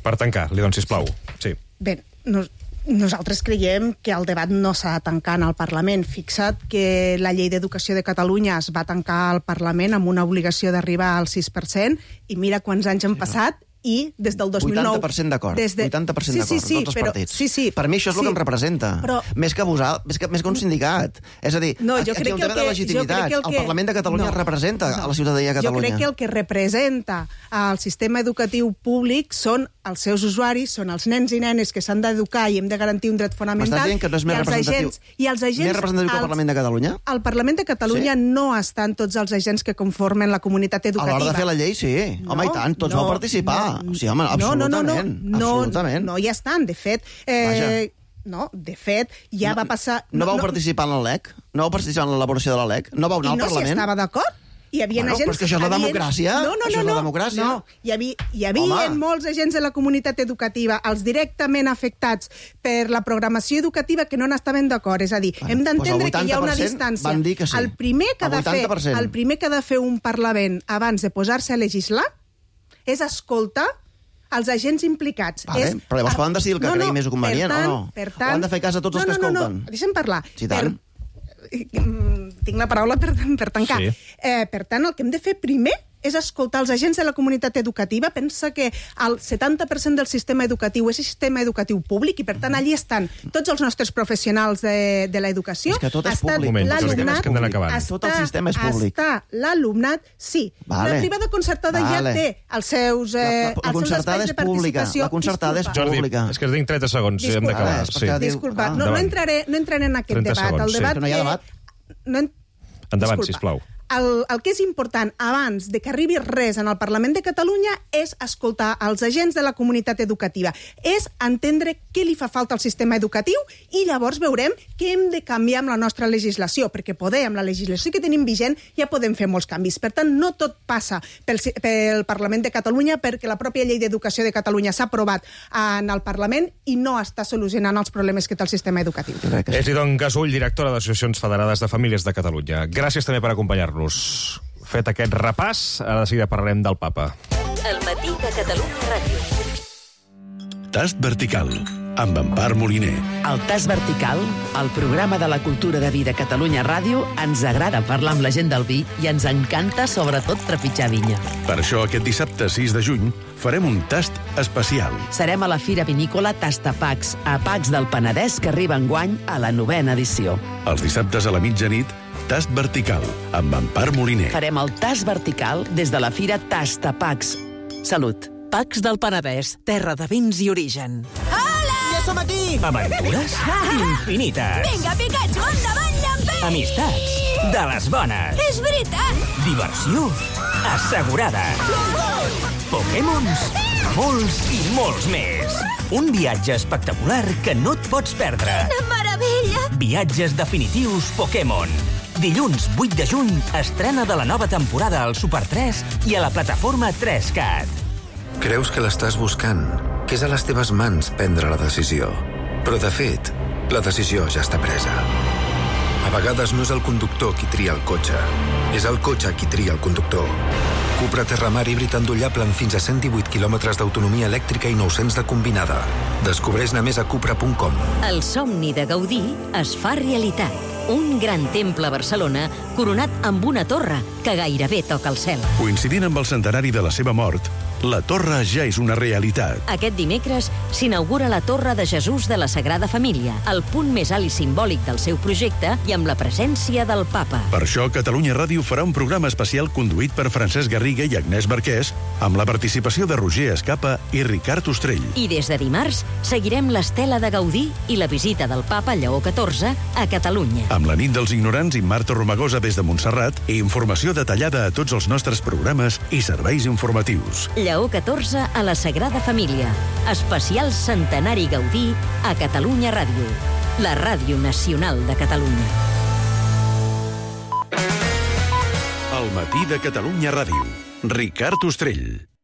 Per tancar, li dono, sisplau. Sí. Bé, no, nosaltres creiem que el debat no s'ha de tancar en el Parlament. Fixa't que la llei d'educació de Catalunya es va tancar al Parlament amb una obligació d'arribar al sis per cent i mira quants anys han passat i des del dos mil nou... vuitanta per cent d'acord, de... vuitanta per cent sí, d'acord, sí, sí, tots els però, partits. Sí, sí, per mi això és sí, el que em representa, però... més, que vosal, més, que, més que un sindicat. És a dir, no, aquí hi ha un tema que de legitimitat. El, que... el Parlament de Catalunya no, representa no. a la ciutadania de Catalunya. Jo crec que el que representa el sistema educatiu públic són els seus usuaris, són els nens i nenes que s'han d'educar i hem de garantir un dret fonamental. M'estàs dient que no és més representatiu, agents, i els agents, més representatiu que el Parlament de Catalunya? Al Parlament de Catalunya sí? no estan tots els agents que conformen la comunitat educativa. A l'hora de fer la llei, sí. No, home, i tant, tots no, vau participar. No, sí, home, absolutament. No, no, no, no, absolutament. No, no hi estan. De fet, eh, no, de fet, ja no, va passar... No, no vau no, participar en la L E C? No vau participar en l'elaboració de la L E C? No vau anar al no Parlament? I no s'hi estava d'acord? Hi havia bueno, agents... Però és que això és la havien... democràcia. No, no, això no, és la no, democràcia. no. Hi havia, hi havia molts agents de la comunitat educativa, els directament afectats per la programació educativa que no n'estaven d'acord. És a dir, bueno, hem d'entendre doncs que hi ha una distància. Van dir que sí. El primer que, ha de fer, el primer que ha de fer un Parlament abans de posar-se a legislar és escoltar els agents implicats. Vale, és... Però llavors poden decidir el que no, no, cregui més convenient, tant, o no? Per tant, o han de fer cas a tots no, els que no, escolten? No, no, deixa'm parlar. Sí, tant. Per... Tinc la paraula per, per tancar. Sí. Eh, per tant, el que hem de fer primer és escoltar els agents de la comunitat educativa. Pensa que el setanta per cent del sistema educatiu és sistema educatiu públic i, per tant, allí estan tots els nostres professionals de, de l'educació. És que tot és públic. L'alumnat, tot el sistema és públic. Està l'alumnat, sí. Vale. La privada concertada vale. ja té els seus, eh, la, la, la concertada és pública. La concertada és pública. Jordi, és que tinc trenta segons. Disculpa, hem d'acabar. Sí. Disculpa, ah, no, no, entraré, no entraré en aquest debat. Segons, el debat sí. que no hi ha debat. No en... Endavant, Disculpa. sisplau. El, el que és important abans de que arribi res en el Parlament de Catalunya és escoltar els agents de la comunitat educativa, és entendre què li fa falta al sistema educatiu i llavors veurem què hem de canviar amb la nostra legislació, perquè poder, amb la legislació que tenim vigent, ja podem fer molts canvis. Per tant, no tot passa pel, pel Parlament de Catalunya, perquè la pròpia llei d'educació de Catalunya s'ha aprovat en el Parlament i no està solucionant els problemes que té el sistema educatiu. És Idon Gasull, directora d'Associacions Federades de Famílies de Catalunya. Gràcies també per acompanyar-nos. Fet aquest repàs, ara de seguida parlarem del Papa. El matí de Catalunya Ràdio. Tast vertical, amb Empar Moliner. El Tast vertical, el programa de la cultura de vi de Catalunya Ràdio, ens agrada parlar amb la gent del vi i ens encanta, sobretot, trepitjar vinya. Per això, aquest dissabte sis de juny, farem un tast especial. Serem a la Fira Vinícola Tastapacs, a Pacs del Penedès, que arriba enguany a la novena edició. Els dissabtes a la mitjanit, Tast vertical, amb Empar Moliner. Farem el Tast vertical des de la Fira Tastapacs. Salut. Pacs del Penedès, terra de vins i origen. Hola! Ja som aquí! Aventures infinites. Vinga, Pikachu, endavant, llamper! Amistats de les bones. És veritat! Diversió assegurada. Pokémons, molts i molts més. Un viatge espectacular que no et pots perdre. Quina meravella! Viatges definitius Pokémon. Dilluns vuit de juny, estrena de la nova temporada al Super tres i a la plataforma tres cat. Creus que l'estàs buscant, que és a les teves mans prendre la decisió. Però, de fet, la decisió ja està presa. A vegades no és el conductor qui tria el cotxe, és el cotxe qui tria el conductor. Cupra Terramar híbrid endollable amb fins a cent divuit quilòmetres d'autonomia elèctrica i nou-cents de combinada. Descobreix-ne més a cupra punt com. El somni de Gaudí es fa realitat. Un gran temple a Barcelona coronat amb una torre que gairebé toca el cel. Coincidint amb el centenari de la seva mort, la torre ja és una realitat. Aquest dimecres s'inaugura la Torre de Jesús de la Sagrada Família, el punt més alt i simbòlic del seu projecte i amb la presència del papa. Per això, Catalunya Ràdio farà un programa especial conduït per Francesc Garriga i Agnès Barquès, amb la participació de Roger Escapa i Ricard Ostrell. I des de dimarts seguirem l'estela de Gaudí i la visita del papa Lleó catorze a Catalunya. Amb la nit dels ignorants i Marta Romagosa des de Montserrat i informació detallada a tots els nostres programes i serveis informatius. Lleó catorze a la Sagrada Família. Especial Centenari Gaudí a Catalunya Ràdio. La ràdio nacional de Catalunya. El matí de Catalunya Ràdio. Ricard Ostrell.